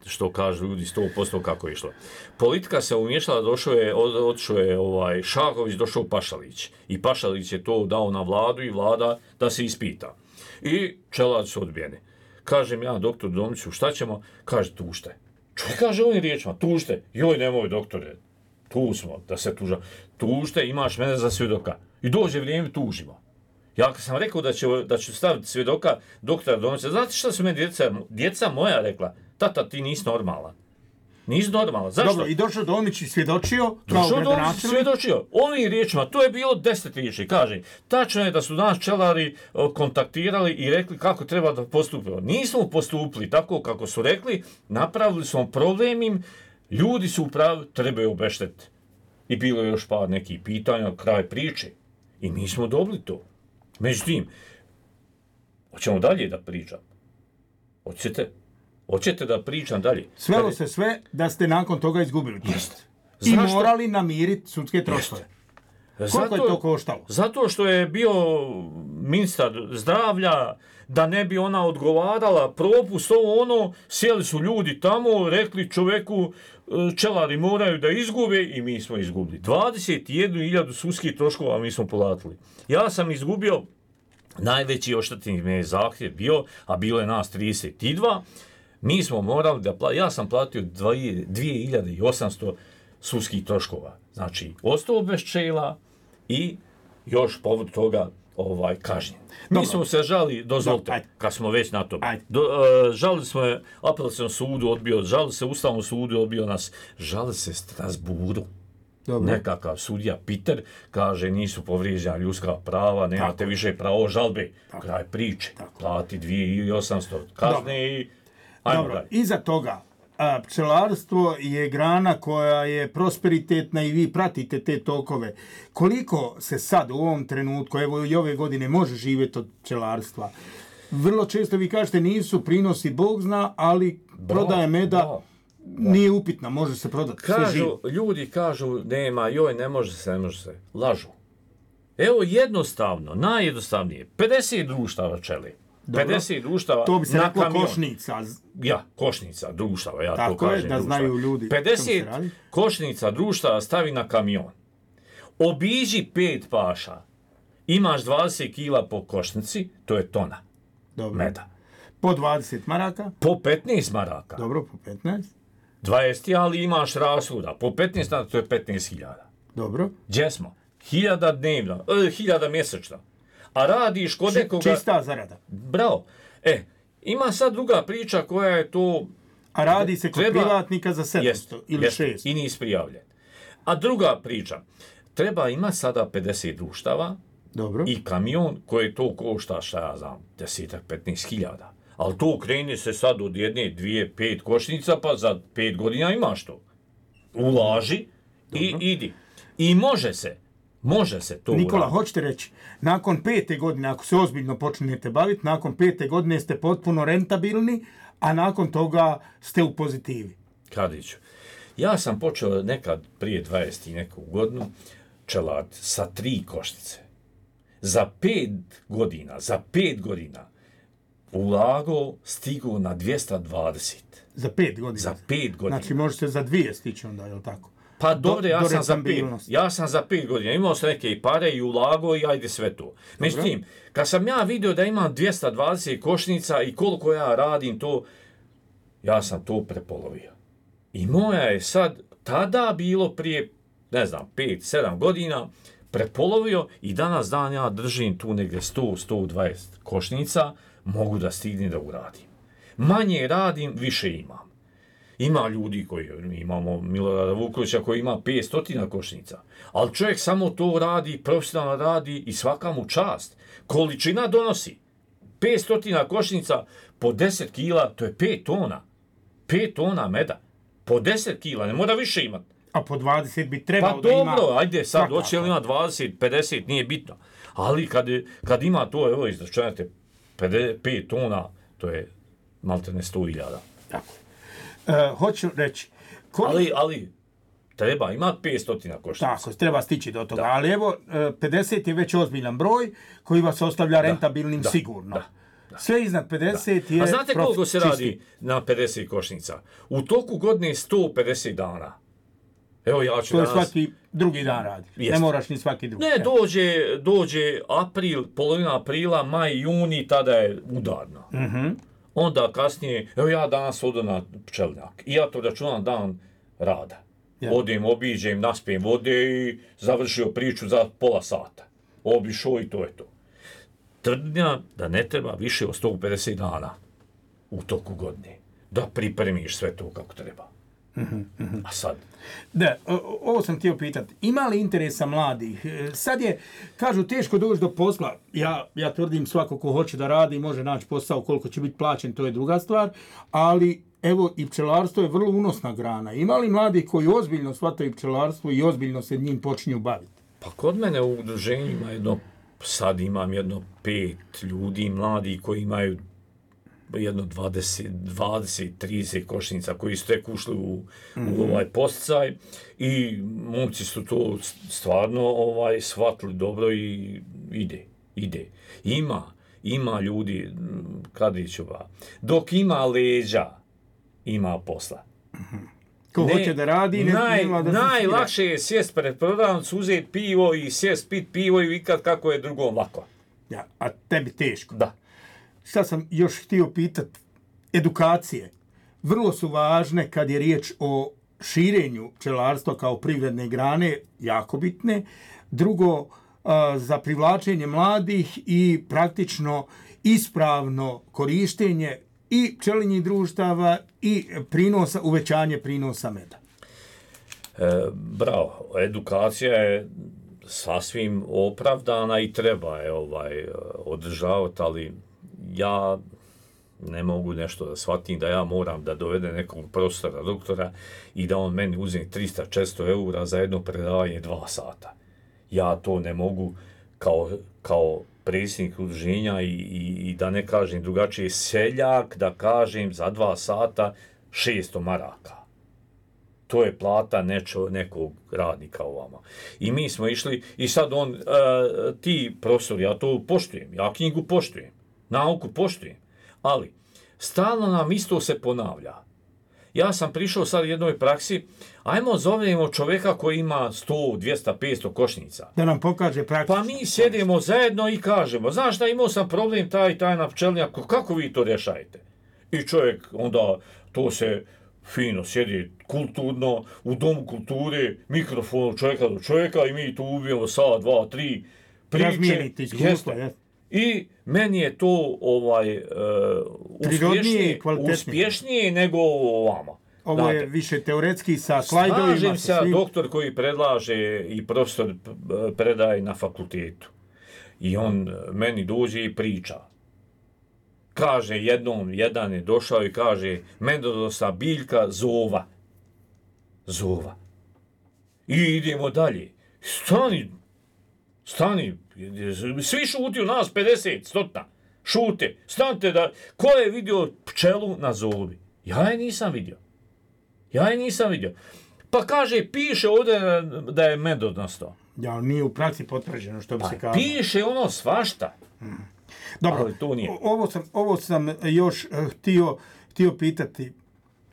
Što kažu ljudi sto posto kako je išlo. Politika se umješala, došao je, odšao je ovaj Šahović, došao Pašalić. I Pašalić je to dao na vladu i vlada da se ispita. I pčelari su odbijeni. Kažem ja, doktor Domiću, šta ćemo? Kaže, tužte. Čovjek kaže ovim riječima, tužte. Joj, nemoj, doktore, tu smo, da se tuža. Tužte, imaš mene za svjedoka. I dođe vrijeme, tužimo. Ja kad sam rekao da ću, da ću staviti svjedoka doktora Domića, znate šta su meni djeca, djeca moja rekla? Tata, ti nisi normalan. Nisi normalan. Zašto? Dobro, i došao Domić i svjedočio, kao Došao gradonačelnik. Domić svjedočio. Ovim riječima, to je bilo deset riječi. Kaže, tačno je da su nas pčelari kontaktirali i rekli kako treba da postupimo. Nismo postupili tako kako su rekli, napravili smo problem im, ljudi su upravi, trebaju obeštetiti. I bilo je još par nekih pitanja, kraj priče. I mi smo dobili to. Međutim, hoćemo dalje da pričam. Hoćete? Hoćete da pričam dalje? Svelo se sve da ste nakon toga izgubili. Jeste. I Zašto? morali namiriti sudske troškove. Koliko Zato, je to koštalo? Zato što je bio ministar zdravlja, da ne bi ona odgovarala, propust, ovo ono, sjeli su ljudi tamo, rekli čoveku, pčelari moraju da izgube i mi smo izgubili. dvadeset jednu hiljadu sudskih troškova mi smo platili. Ja sam izgubio, najveći oštetni mi je zahtjev bio, a bilo je nas trideset dva, mi smo morali da platimo, ja sam platio dvije hiljade osamsto sudskih troškova. Znači, ostao bez pčela i još povod toga ovaj kažnjen. Mi Dobro. smo se žali, dozvolite, Dobro, kad smo već na tome. Ajde. Do, uh, žali smo je apelacijom sudu odbio, žali se Ustavnom sudu odbio nas, žali se Strasburu. Dobro. Nekakav sudija Peter kaže nisu povrijeđena ljudska prava, nemate Tako. više pravo žalbe. Tako. Kraj priče. Tako. Plati dvije hiljade osamsto kazne i Ajmo Dobro, dalje. iza toga, a, pčelarstvo je grana koja je prosperitetna i vi pratite te tokove. Koliko se sad u ovom trenutku, evo i ove godine, može živjeti od pčelarstva? Vrlo često vi kažete nisu prinosi, Bog zna, ali prodaje meda bravo, bravo. nije upitna, može se prodati. Kažu, ljudi kažu, nema, joj, ne može se, ne može se. Lažu. Evo jednostavno, najjednostavnije, pedeset društava pčele. Dobro. pedeset društava To bi se na reklo kamion. košnica. Ja, košnica, društava, ja Tako to kažem. je, da društava. znaju ljudi. pedeset košnica društava stavi na kamion. Obiđi pet paša. Imaš dvadeset kila po košnici, to je tona Dobro. meda. Po dvadeset maraka. Po petnaest maraka. Dobro, po petnaest. dvadeset, ali imaš rashoda. Po petnaest, to je petnaest hiljada. Dobro. Gdje smo? Hiljada dnevno, e, hiljada mjesečno. A radiš kod Či, nekoga... čista zarada. Bravo. E, ima sad druga priča koja je to... A radi se kod Treba- privatnika za sedamsto Jest, ili jest, šest. I nisi prijavljen. A druga priča, treba ima sada pedeset društava Dobro. i kamion koji to košta, šta ja znam, deset do petnaest hiljada. Ali to kreni se sad od jedne, dvije, pet košnica, pa za pet godina imaš to. Ulaži i Dobro. idi. I može se, može se to Nikola, uraditi. hoćete reći, nakon pete godine, ako se ozbiljno počnete baviti, nakon pete godine ste potpuno rentabilni, a nakon toga ste u pozitivi. Kadiću. Ja sam počeo nekad prije dvadeset i neku godinu čelat sa tri košnice. Za pet godina, za pet godina ulago stigo na dvjesto dvadeset. Za pet godina. Za pet godina. Znači, možete za dvije stići onda, je li tako? Pa do- dobro, ja do sam za pet. rentabilnosti. Ja sam za pet godina. Imao sam neke i pare i ulago i ajde sve to. Međutim, kad sam ja vidio da imam dvjesto dvadeset košnica i koliko ja radim to, ja sam to prepolovio. I moja je sad, tada bilo prije, ne znam, pet sedam godina, prepolovio i danas dan ja držim tu negdje sto do sto dvadeset košnica, mogu da stignem da uradim. Manje radim, više imam. Ima ljudi koji, mi imamo Milorada Vukovića koji ima petsto košnica, ali čovjek samo to radi, profesionalno radi i svaka mu čast. Količina donosi. petsto košnica po deset kila, to je pet tona. pet tona meda. Po deset kila, ne mora više imati. A po dvadeset bi Pa trebao da ima... dobro, ajde sad, svakako. hoće li ima dvadeset, pedeset, nije bitno. Ali kad, kad ima to, evo, izračunajte, pet tona, to je maltene sto hiljada. Tako. E, hoću reći... Ko... Ali, ali, treba imati petsto košnica. Tako, treba stići do toga. Da. Ali evo, e, pedeset je već ozbiljan broj koji vas ostavlja rentabilnim da, sigurno. da, da. Sve iznad pedeset je... A znate profit, koliko se čisti. radi na pedeset košnica? U toku godine sto pedeset dana. Evo ja ću To je danas... svaki drugi dan radi. Ne Jeste. moraš ni svaki drugi. Ne, Evo. dođe, dođe april, polovina aprila, maj, juni, tada je udarno. Mhm. Onda kasnije, evo ja danas odu na pčelinjak i ja to računam dan rada. Ja. Odem, obiđem, naspijem vode i završio priču za pola sata. Obišao i to je to. Tvrdnja da ne treba više od sto pedeset dana u toku godine da pripremiš sve to kako treba. A sad? Da, o- ovo sam htio pitati. Ima li interesa mladih? E, Sad je, kažu, teško doći do posla. Ja, ja tvrdim svako ko hoće da radi može naći posao, koliko će biti plaćen, to je druga stvar. Ali, evo, i pčelarstvo je vrlo unosna grana. Ima li mladih koji ozbiljno shvataju pčelarstvo i ozbiljno se njim počinju baviti? Pa kod mene u udruženju ima jedno, sad imam jedno pet ljudi mladi koji imaju jedno dvadeset, dvadeset, trideset košnica koji su tek ušli u, mm-hmm. u ovaj posticaj i momci su to stvarno ovaj shvatili dobro i ide, ide. Ima, ima ljudi, Kadriću ba, dok ima leđa, ima posla. Ko ne, hoće da radi, ne naj, nema da se najlakše je sjest pred prodavnicu, uzeti pivo i sjest pit pivo i vikat kako je drugom lako. Ja, a tebi teško. Da. Šta sam još htio pitat? Edukacije. Vrlo su važne kad je riječ o širenju pčelarstva kao privredne grane, jako bitne. Drugo, a, za privlačenje mladih i praktično ispravno korištenje i pčelinjih društava i prinosa, uvećanje prinosa meda. E, bravo, edukacija je sasvim opravdana i treba je ovaj održavati, ali ja ne mogu nešto da shvatim da ja moram da dovedem nekog profesora, doktora i da on meni uzme tristo do četiristo eura za jedno predavanje dva sata. Ja to ne mogu kao, kao predsjednik udruženja i, i, i da ne kažem drugačije seljak da kažem za dva sata šesto maraka. To je plata nečo, nekog radnika ovama. I mi smo išli i sad on, uh, ti profesori, ja to poštujem, ja knjigu poštujem, nauku poštujem, ali stalno nam isto se ponavlja. Ja sam prišao sad jednoj praksi, ajmo zovemo čovjeka koji ima sto, dvjesto, petsto košnica. Da nam pokaže praktično. Pa mi sjedemo zajedno i kažemo, znaš da imao sam problem taj i taj na pčelnjaku, kako vi to rješajete? I čovjek onda to se fino sjedi kulturno, u domu kulture, mikrofon od čovjeka do čovjeka i mi tu ubijemo sat, dva, tri priče. Razmijeniti iskustva, je. I meni je to ovaj uh, uspješnije, uspješnije nego ovama. Ovo Znate, je više teoretski sa slajdovima. Slažem se, svim... doktor koji predlaže i profesor predaje na fakultetu. I on meni dođe i priča. Kaže jednom, jedan je došao i kaže medonosna biljka zova. Zova. I idemo dalje. Stani, stani, svi šuti u nas pedeset, stotna. Šute, stanite da, ko je vidio pčelu na zovi? Ja je nisam vidio. Ja je nisam vidio. Pa kaže, piše ovdje da je medonostno. Ja, nije u praksi potvrđeno što bi pa, se kazalo. Piše ono svašta. Hmm. Dobro, ali to nije. Ovo sam, ovo sam još uh, htio, htio pitati.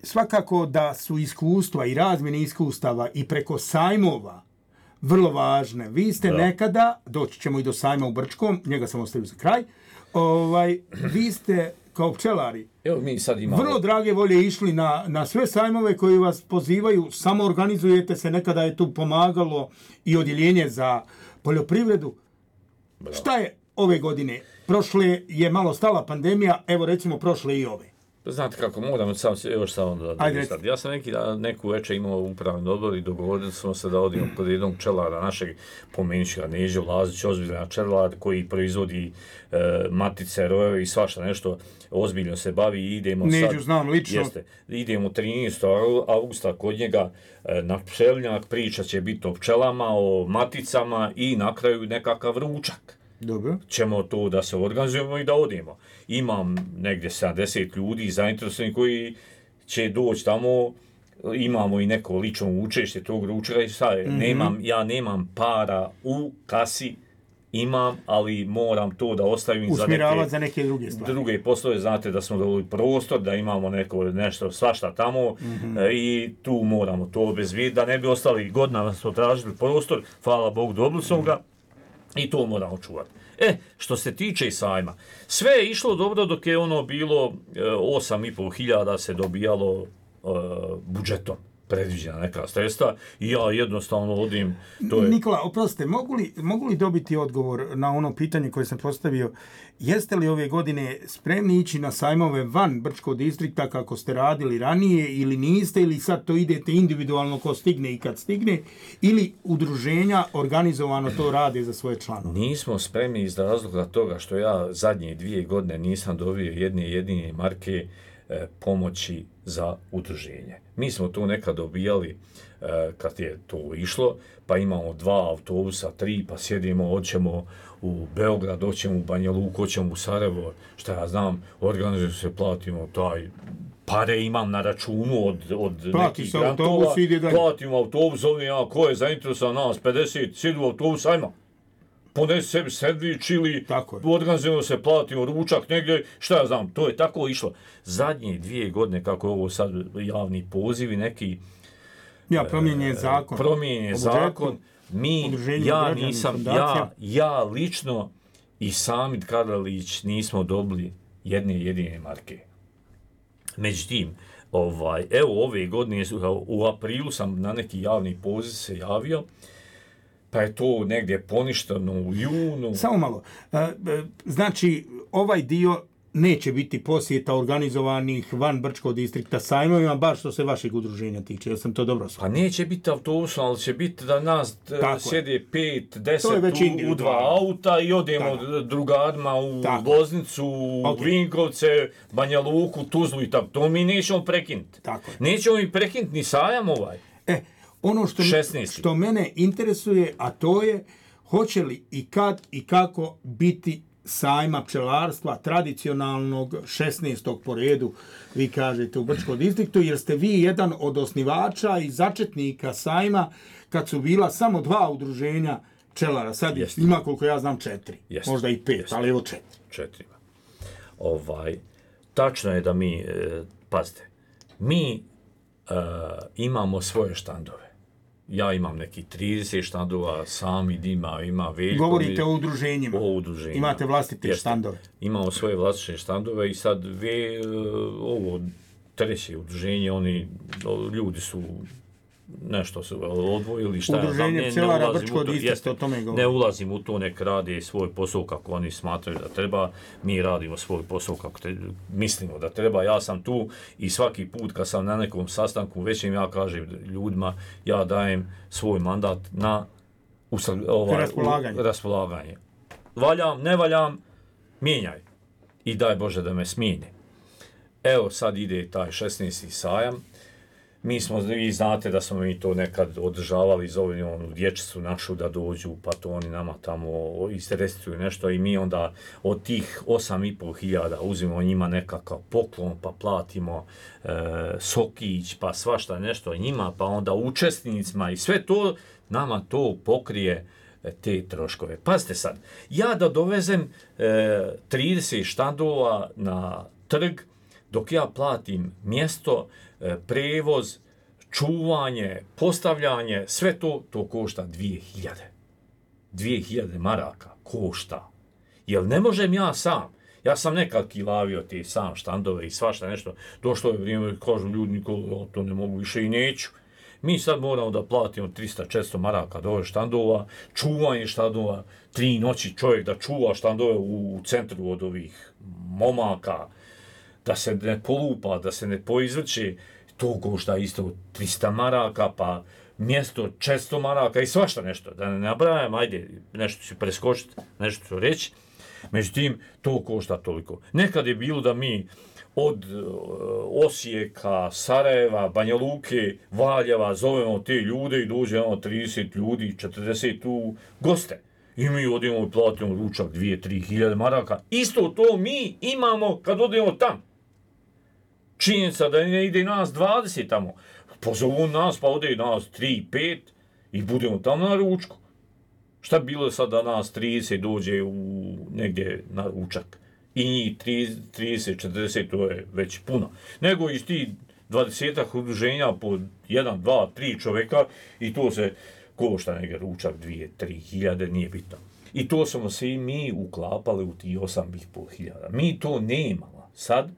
Svakako da su iskustva i razmjene iskustava i preko sajmova vrlo važne. Vi ste da. nekada, doći ćemo i do sajma u Brčkom, njega sam ostavio za kraj, ovaj, vi ste kao pčelari Evo, mi sad imamo... vrlo drage volje išli na, na sve sajmove koji vas pozivaju, samo organizujete se, nekada je tu pomagalo i odjeljenje za poljoprivredu. Bravo. Šta je ove godine? Prošle je malo stala pandemija, evo recimo prošle i ove. Znate kako, moram sam još samo da... Ajde, sad. Ja sam neki, neku večer imao upravni odbor i dogovorili smo se da odimo kod jednog pčelara našeg pomenička Neđo Lazić, ozbiljan pčelar koji proizvodi e, matice, rojeve i svašta nešto, ozbiljno se bavi i idemo Neđu sad... Neđu znam lično. Jeste, idemo trinaestog augusta kod njega e, na pčeljnjak, priča će biti o pčelama, o maticama i na kraju nekakav ručak. Dobro. Ćemo to da se organizujemo i da odemo. Imam negdje sedamdeset ljudi zainteresovani koji će doći tamo, imamo i neko lično učešće tog ručka i sad, mm-hmm. nemam, ja nemam para u kasi, imam, ali moram to da ostavim za neke, za neke druge stvari. Druge poslove, znate da smo dobili prostor, da imamo neko nešto svašta tamo mm-hmm. e, i tu moramo to obezbjediti, da ne bi ostali godinama smo tražili prostor, hvala Bogu, dobili smo ga. I to moramo čuvati. E, što se tiče sajma, sve je išlo dobro dok je ono bilo e, osam i pol hiljada se dobijalo e, budžetom predviđena neka sredstva i ja jednostavno odim... To je... Nikola, oprostite, mogu li, mogu li dobiti odgovor na ono pitanje koje sam postavio? Jeste li ove godine spremni ići na sajmove van Brčkog distrikta kako ste radili ranije ili niste, ili sad to idete individualno ko stigne i kad stigne, ili udruženja organizovano to rade za svoje članove? Nismo spremni iz razloga toga što ja zadnje dvije godine nisam dobio jedne jedine marke e, pomoći za udruženje. Mi smo to nekad dobijali e, kad je to išlo, pa imamo dva autobusa, tri, pa sjedimo, hoćemo u Beograd, hoćemo u Banja Luku, hoćemo u Sarajevo, šta ja znam, organizujemo se, platimo taj, pare imam na računu od, od nekih grantova, autobus, platimo autobus, ovdje ja, ko je zainteresovan nas, pedeset, sjedu u autobus, ajmo. Ponesi sebi sandvič ili organizujemo se, platimo ručak negdje, šta ja znam, to je tako išlo. Zadnje dvije godine, kako je ovo sad javni pozivi, neki... Ja, promijenjen je zakon. Promijenjen je zakon. Mi, ja nisam, ja, ja lično i Samit Karalić nismo dobili jedne jedine marke. Međutim, ovaj, evo ove godine, u aprilu sam na neki javni poziv se javio, pa je to negdje poništeno u junu. Samo malo. Znači, ovaj dio neće biti posjeta organizovanih van Brčkog distrikta sajmovima, baš što se vašeg udruženja tiče, ja sam to dobro shvatio. Pa neće biti autobusom, ali će biti da nas Tako sjede je. pet, deset u, u dva auta i odemo tako drugarima u tako Loznicu, okay. Vinkovce, Banja Luku, Tuzlu i tako. To mi nećemo prekinuti. Nećemo mi prekinuti ni sajam ovaj. E, ono što, što mene interesuje, a to je hoće li i kad i kako biti sajma pčelarstva tradicionalnog šesnaestog po redu, vi kažete, u Brčkom distriktu, jer ste vi jedan od osnivača i začetnika sajma kad su bila samo dva udruženja pčelara. Sad Jest. ima, koliko ja znam, četiri. Jest. Možda i pet, Jest. ali evo četiri. Četiri. Ovaj, tačno je da mi, e, pazite, mi e, imamo svoje štandove. Ja imam neki trideset štandova, sami Dima ima Veljko. Govorite o udruženjima. O udruženjima. Imate vlastite Jeste. štandove. Imamo svoje vlastite štandove i sad ve, ovo treće udruženje, oni ljudi su nešto se odvojili, šta udruženje ja znam, ne, ne ulazim u to, jeste, o tome ne ulazim u to, nek radi svoj posao kako oni smatraju da treba, mi radimo svoj posao kako te, mislimo da treba, ja sam tu i svaki put kad sam na nekom sastanku većem ja kažem ljudima, ja dajem svoj mandat na usl, ovaj, raspolaganje. U, raspolaganje. Valjam, ne valjam, mijenjaj i daj Bože da me smijene. Evo sad ide taj šesnaesti sajam. Mi smo, vi znate da smo mi to nekad održavali, zovem onu dječicu našu da dođu, pa to oni nama tamo isterestituju nešto i mi onda od tih osam i pol hiljada uzimamo njima nekakav poklon, pa platimo e, sokić, pa svašta nešto njima, pa onda učesnicima i sve to, nama to pokrije te troškove. Pazite sad, ja da dovezem e, trideset štandova na trg, dok ja platim mjesto, prevoz, čuvanje, postavljanje, sve to, to košta dvije hiljade. dvije hiljade maraka košta. Jer ne možem ja sam. Ja sam nekad kilavio te sam štandove i svašta nešto. Došlo je vrijeme, kažu ljudi, Nikola, to ne mogu više i neću. Mi sad moramo da platimo trista četiristo maraka do ove štandova, čuvanje štandova, tri noći čovjek da čuva štandove u centru od ovih momaka, da se ne polupa, da se ne poizvrće, to košta isto trista maraka, pa mjesto četiristo maraka i svašta nešto. Da ne nabrajam, ajde, nešto ću preskočiti, nešto ću reći. Međutim, to košta toliko. Nekad je bilo da mi od Osijeka, Sarajeva, Banja Luke, Valjeva zovemo te ljude i dođemo trideset ljudi, četrdeset u goste. I mi odemo i platimo ručak dvije do tri hiljade maraka. Isto to mi imamo kad odemo tam. Činjenica da ne ide nas dvadeset tamo. Pozovu nas pa ode nas tri pet i budemo tamo na ručku. Šta bi bilo sad da nas trideset dođe u negdje na ručak? I njih trideset četrdeset to je već puno. Nego iz tih dvadesetak udruženja po jedan, dva, tri čovjeka i to se košta negdje ručak dvije do tri hiljade, nije bitno. I to smo se i mi uklapali u tih osam i pol hiljada. Mi to nemamo sad.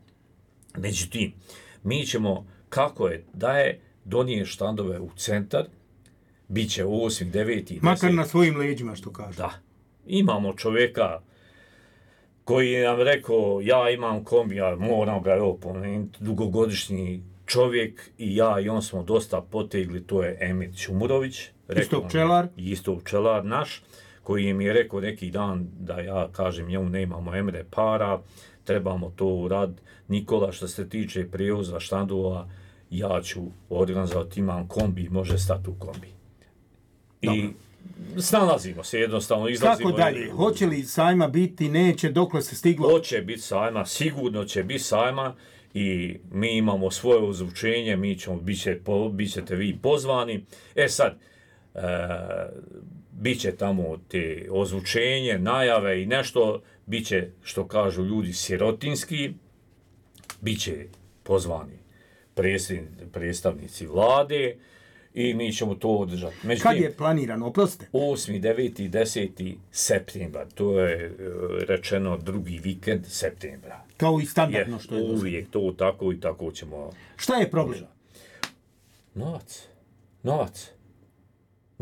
Međutim, mi ćemo, kako je, da je donije štandove u centar, bit će osmi, deveti, deseti. Makar na svojim leđima, što kažu. Da. Imamo čovjeka koji je nam rekao, ja imam kombi, ja moram ga opomenuti, dugogodišnji čovjek i ja i on smo dosta potegli, to je Emir Čumurović. Isto pčelar. Isto pčelar naš, koji mi je rekao neki dan da ja kažem njemu nemamo Emre para, trebamo to uraditi. Nikola, što se tiče prijevoza štandova, ja ću organizovati, imam kombi, može stati u kombi. I Dobro. snalazimo se, jednostavno izlazimo. Kako dalje? Hoće li sajma biti, neće, dokle se stiglo? Hoće biti sajma, sigurno će biti sajma i mi imamo svoje ozvučenje, mi ćemo, bit, će, bit ćete vi pozvani. E sad, e, bit će tamo te ozvučenje, najave i nešto, bit će, što kažu ljudi, sirotinski, bit će pozvani predstavnici vlade i mi ćemo to održati. Međutim, kad je planirano, oprostite? osmi, deveti, deseti septembar, to je rečeno drugi vikend septembra. Kao i standardno što je. Uvijek to tako i tako ćemo... Šta je problem? Novac. Novac.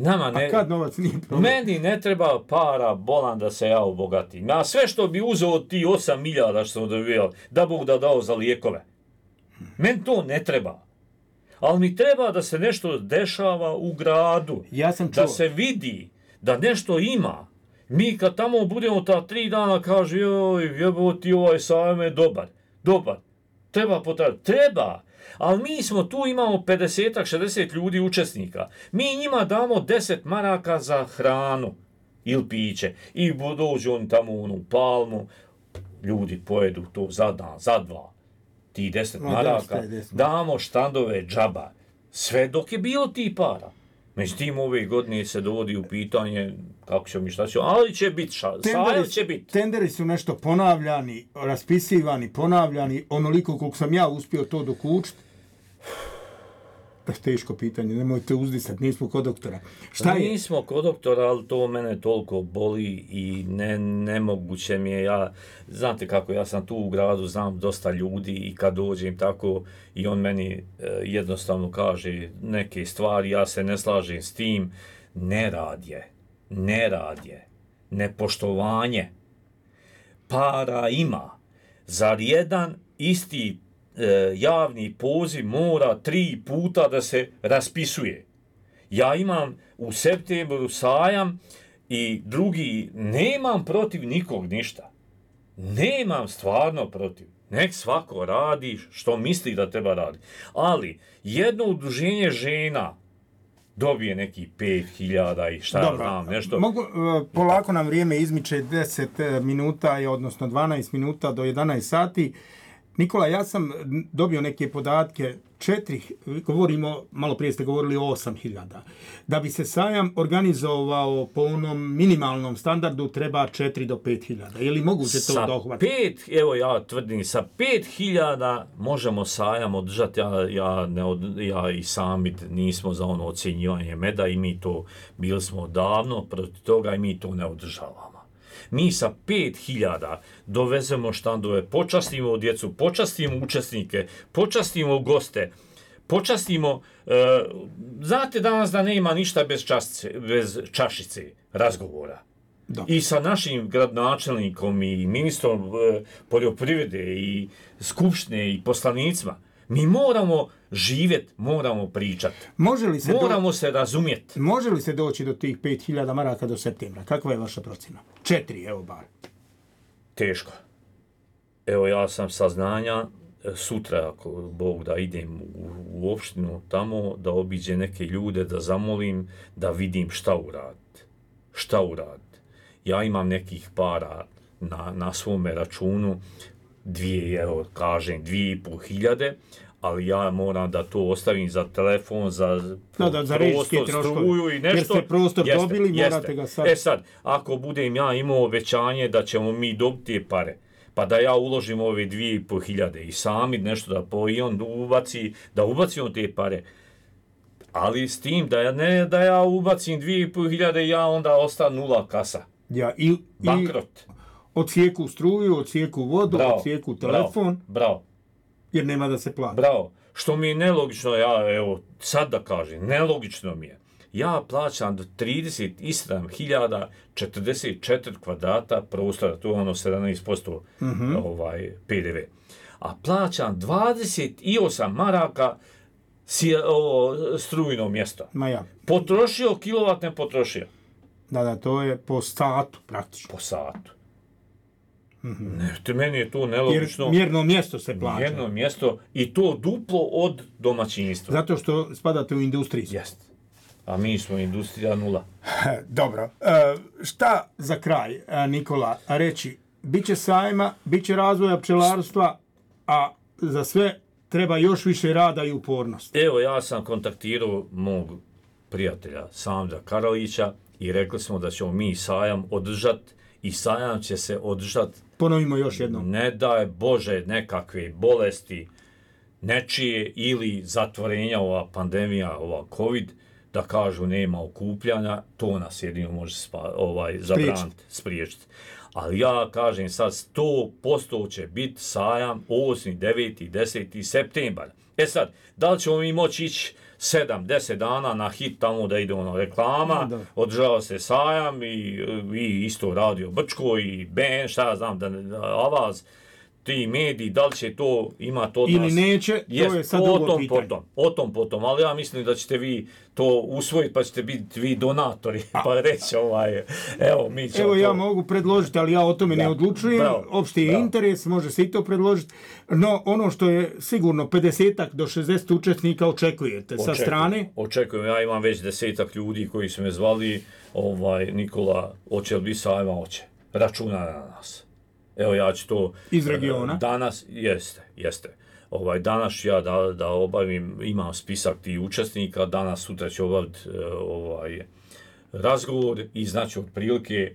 Nama ne, a kad novac nije problem? Meni ne treba para bolan da se ja obogatim. Ja sve što bi uzeo od ti osam milijada što sam dobio, da Bog da dao za lijekove. Meni to ne treba. Ali mi treba da se nešto dešava u gradu. Ja sam čuo. Da se vidi da nešto ima. Mi kad tamo budemo ta tri dana kaže joj, jebo ti ovaj sajam je dobar. Dobar. Treba potrebati. Treba. Ali mi smo tu, imamo pedeset šezdeset ljudi učesnika. Mi njima damo deset maraka za hranu ili piće. I dođu oni tamo u onu palmu. Ljudi pojedu to za dan, za dva. Ti deset no, maraka. deset. Damo štandove džaba. Sve dok je bilo ti para. Međutim, ove godine se dovodi u pitanje kako ćemo i šta ćemo, ali će biti, sajam će biti. Tenderi su nešto ponavljani, raspisivani, ponavljani, onoliko koliko sam ja uspio to dokučiti. Teško pitanje, nemojte uzdisati, nismo kod doktora. Šta je? Nismo kod doktora, ali to mene toliko boli i ne, nemoguće mi je. Ja, znate kako, ja sam tu u gradu, znam dosta ljudi i kad dođem tako i on meni e, jednostavno kaže neke stvari, ja se ne slažem s tim. Nerad je, nerad je, nepoštovanje. Para ima. Zar jedan isti javni poziv mora tri puta da se raspisuje. Ja imam u septembru sajam i drugi, nemam protiv nikog ništa. Nemam stvarno protiv. Nek svako radi što misli da treba raditi. Ali jedno udruženje žena dobije neki pet hiljada i šta Dobro, znam, nešto. Mogu, polako nam vrijeme izmiče deset minuta, odnosno dvanaest minuta do jedanaest sati. Nikola, ja sam dobio neke podatke, četiri, govorimo, malo prije ste govorili o osam hiljada. Da bi se sajam organizovao po onom minimalnom standardu treba četiri do pet hiljada. Je li moguće to sa dohvatiti? Pet, evo ja tvrdim, sa pet hiljada možemo sajam održati, ja, ja, ne od, ja i sami nismo za ono ocjenjivanje meda i mi to, bili smo davno protiv toga i mi to ne održavamo. Mi sa pet hiljada dovezemo štandove, počastimo djecu, počastimo učesnike, počastimo goste, počastimo, e, znate danas da nema ništa bez, čašice, bez čašice razgovora. Da. I sa našim gradonačelnikom i ministrom e, poljoprivrede i skupštine i poslanicima. Mi moramo živjeti, moramo pričati. Može li se moramo do... se razumjeti. Može li se doći do tih pet hiljada maraka do septembra? Kakva je vaša procjena? Četiri, evo bar. Teško. Evo ja sam saznanja, sutra ako Bog da idem u, u opštinu tamo, da obiđe neke ljude, da zamolim, da vidim šta uraditi. Šta uraditi. Ja imam nekih para na, na svome računu, dvije, evo kažem, dvije i pol hiljade, ali ja moram da to ostavim za telefon, za, no, da, za prostor, struju i nešto. Jer ste prostor jeste, dobili, jeste. Morate ga sad... E sad, ako budem ja imao obećanje da ćemo mi dobiti te pare, pa da ja uložim ove dvije i pol hiljade i sami nešto da po i on ubaci, da ubacimo te pare, ali s tim da ja, ne da ja ubacim dvije i pol hiljade, ja onda ostane nula kasa. Ja, i, bankrot. I... Odsijeku struju, odsijeku vodu, bravo, odsijeku telefon. Bravo, bravo. Jer nema da se plati. Bravo. Što mi je nelogično, ja evo sad da kažem, nelogično mi je. Ja plaćam do trideset sedam hiljada četrdeset četiri kvadrata prostora, to je ono sedamnaest posto mm-hmm. ovaj, P D V. A plaćam dvadeset osam maraka si, ovo, strujno mjesto. Ma ja. Potrošio kilovat, ne potrošio. Da, da, to je po satu praktično. Po satu. Mm-hmm. Ne, te meni je to nelogično. Jer mjerno mjesto se plaća. Mjerno mjesto i to duplo od domaćinstva. Zato što spadate u industriju. Jeste. A mi smo industrija nula. Dobro. E, šta za kraj, Nikola, reći? Biće sajma, biće razvoja pčelarstva, a za sve treba još više rada i upornost. Evo, ja sam kontaktirao mog prijatelja Sandra Karalića i rekli smo da ćemo mi sajam održati i sajam će se održati. Ponovimo još jednom. Ne daj Bože nekakve bolesti, nečije ili zatvorenja, ova pandemija, ova COVID, da kažu nema okupljanja, to nas jedino može spa, ovaj, zabraniti, spriječiti. Ali ja kažem sad sto posto će biti sajam osmi, deveti, deseti septembar. E sad, da li ćemo mi moći ići sedam, deset dana na hit tamo da ide ono reklama, da. održava se sajam i, i isto Radio Brčko i Ben, šta ja znam, da, da Avaz, ti mediji, da li će to imati od ili nas? neće, Jest, to je sad drugo potom, pitanje. Potom, o tom, potom, ali ja mislim da ćete vi to usvojiti, pa ćete biti vi donatori, pa reći ovaj, evo, mi ćemo Evo to... ja mogu predložiti, ali ja o tome da. ne odlučujem, bravo, opšti je bravo. interes, može se i to predložiti, no ono što je sigurno pedeset do šezdeset učesnika očekujete Očekujem, sa strane. Očekujem, ja imam već desetak ljudi koji su me zvali, ovaj, Nikola, hoće li biti sajma, hoće, računa na nas. Evo ja ću to... Iz regiona? Danas, jeste, jeste. Ovaj, danas ja da, da obavim, imam spisak tih učesnika, danas, sutra ću obaviti ovaj, razgovor i znači otprilike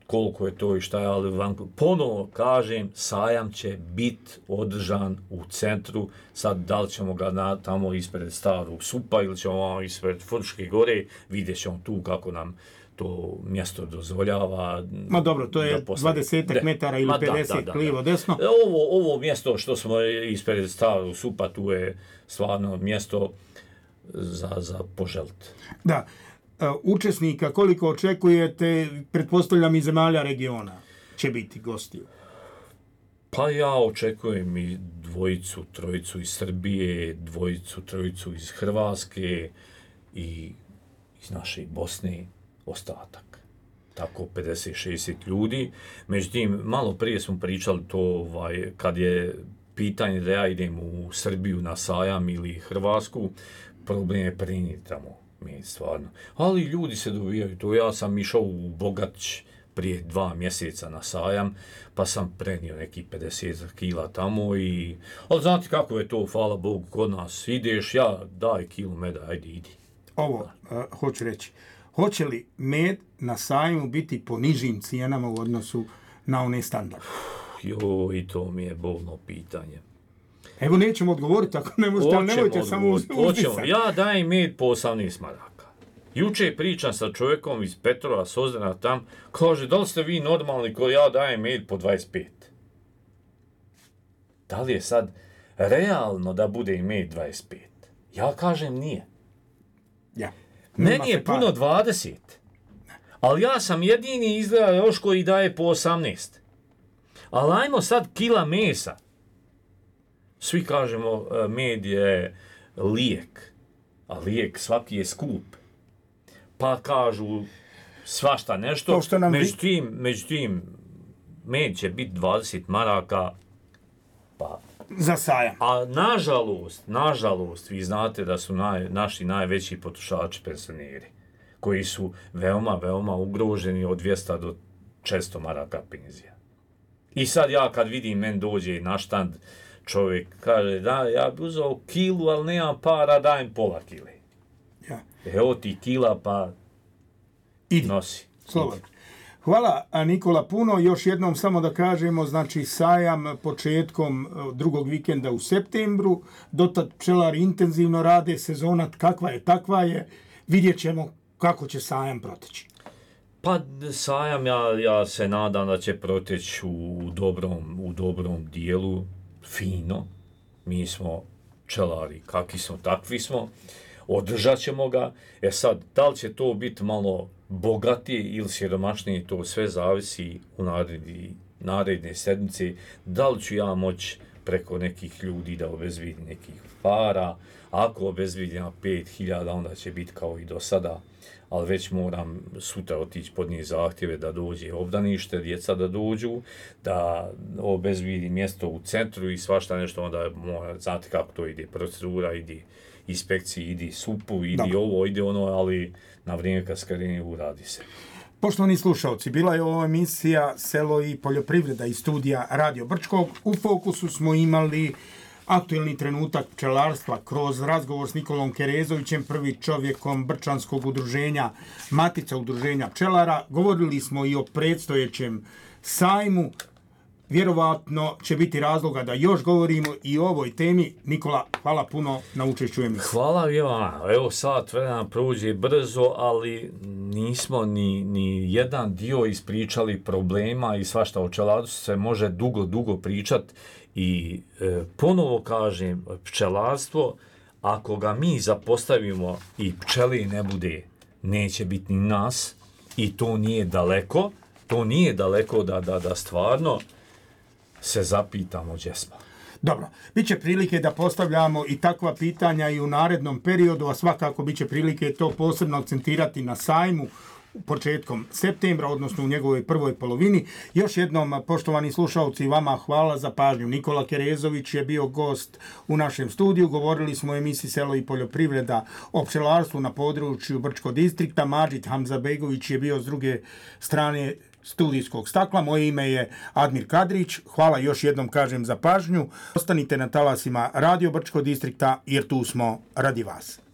koliko je to i šta je, ali vam ponovo kažem, sajam će biti održan u centru, sad da li ćemo ga na, tamo ispred Starog Supa ili ćemo ispred Fruške gore, vidjet ćemo tu kako nam to mjesto dozvoljava. Ma dobro, to je dvadeset metara ili pedeset, lijevo, desno. Ovo, ovo mjesto što smo ispred Starog Supa, tu je stvarno mjesto za, za poželit. Da. Učesnika, koliko očekujete, pretpostavljam i zemalja regiona će biti gostiju? Pa ja očekujem i dvojicu, trojicu iz Srbije, dvojicu, trojicu iz Hrvatske i iz naše Bosne, ostatak. Tako pedeset šezdeset ljudi. Međutim, malo prije smo pričali to ovaj, kad je pitanje da ja idem u Srbiju na sajam ili Hrvatsku, problem je prenijeti tamo. Mi stvarno. Ali ljudi se dobijaju to. Ja sam išao u Bogać prije dva mjeseca na sajam, pa sam prenio neki pedeset kila tamo i... Ali znate kako je to, hvala Bogu, kod nas. Ideš, ja daj kilu meda, ajde, idi. Ovo, uh, hoću reći. Hoće li med na sajmu biti po nižim cijenama u odnosu na one standarde? Jo, i to mi je bolno pitanje. Evo nećemo odgovoriti, ako ne možete, ali nemojte samo uzdisati. Ja dajem med po osamnaest maraka. Juče pričam sa čovjekom iz Petrova, Sozdana tam, kaže, da li ste vi normalni ko ja dajem med po dvadeset pet? Da li je sad realno da bude i med dvadeset pet? Ja kažem nije. Ja. Meni je puno dvadeset. Ali ja sam jedini izgleda još koji daje po osamnaest. Ali ajmo sad kila mesa. Svi kažemo, med je lijek, a lijek svaki je skup. Pa kažu svašta nešto, međutim, međutim, med će biti dvadeset maraka, pa... Za sajam. A nažalost, nažalost, vi znate da su naj, naši najveći potrošači penzioneri, koji su veoma, veoma ugroženi od dvjesto do četiristo maraka penzija. I sad ja kad vidim, men dođe na štand, čovjek kaže, da, ja bi uzao kilu, ali nemam para, dajem pola kile. Ja. Evo ti kila, pa idi. Nosi. Slobodno. Hvala, Nikola, puno. Još jednom samo da kažemo, znači sajam početkom drugog vikenda u septembru. Dotad pčelari intenzivno rade, sezona kakva je, takva je. Vidjet ćemo kako će sajam proteći. Pa sajam, ja, ja se nadam da će proteći u dobrom, u dobrom dijelu. Fino, mi smo pčelari, kakvi smo, takvi smo, održat ćemo ga. E sad, da li će to biti malo bogatije ili siromašnije, to sve zavisi u naredni, naredne sedmice. Da li ću ja moći preko nekih ljudi da obezvidim nekih para, ako obezvidim pet hiljada, onda će biti kao i do sada, ali već moram sutra otići podnije zahtjeve da dođe obdanište, djeca da dođu, da obezvidim mjesto u centru i svašta nešto, onda mora, znate kako to ide, procedura, ide inspekciji, ide supu, ide Dobre. ovo, ide ono, ali na vrijeme kad skreni uradi se. Poštovani slušalci, bila je ova emisija Selo i poljoprivreda iz studija Radio Brčkog. U fokusu smo imali aktuelni trenutak pčelarstva kroz razgovor s Nikolom Kerezovićem, prvi čovjekom Brčanskog udruženja, Matica udruženja pčelara. Govorili smo i o predstojećem sajmu. Vjerovatno će biti razloga da još govorimo i o ovoj temi. Nikola, hvala puno na učešću emisiji. Hvala Ivana. Evo sat vremena prođe brzo, ali nismo ni, ni jedan dio ispričali problema i svašta o pčelarstvu se može dugo, dugo pričat. I e, ponovo kažem, pčelarstvo, ako ga mi zapostavimo i pčeli ne bude, neće biti ni nas i to nije daleko, to nije daleko da, da, da stvarno se zapitamo gdje smo. Dobro, bit će prilike da postavljamo i takva pitanja i u narednom periodu, a svakako bit će prilike to posebno akcentirati na sajmu početkom septembra, odnosno u njegovoj prvoj polovini. Još jednom, poštovani slušalci, vama hvala za pažnju. Nikola Kerezović je bio gost u našem studiju. Govorili smo o emisiji Selo i poljoprivreda o pčelarstvu na području Brčkog distrikta. Mađid Hamzabegović je bio s druge strane studijskog stakla. Moje ime je Admir Kadrić. Hvala još jednom, kažem, za pažnju. Ostanite na talasima Radio Brčkog distrikta jer tu smo radi vas.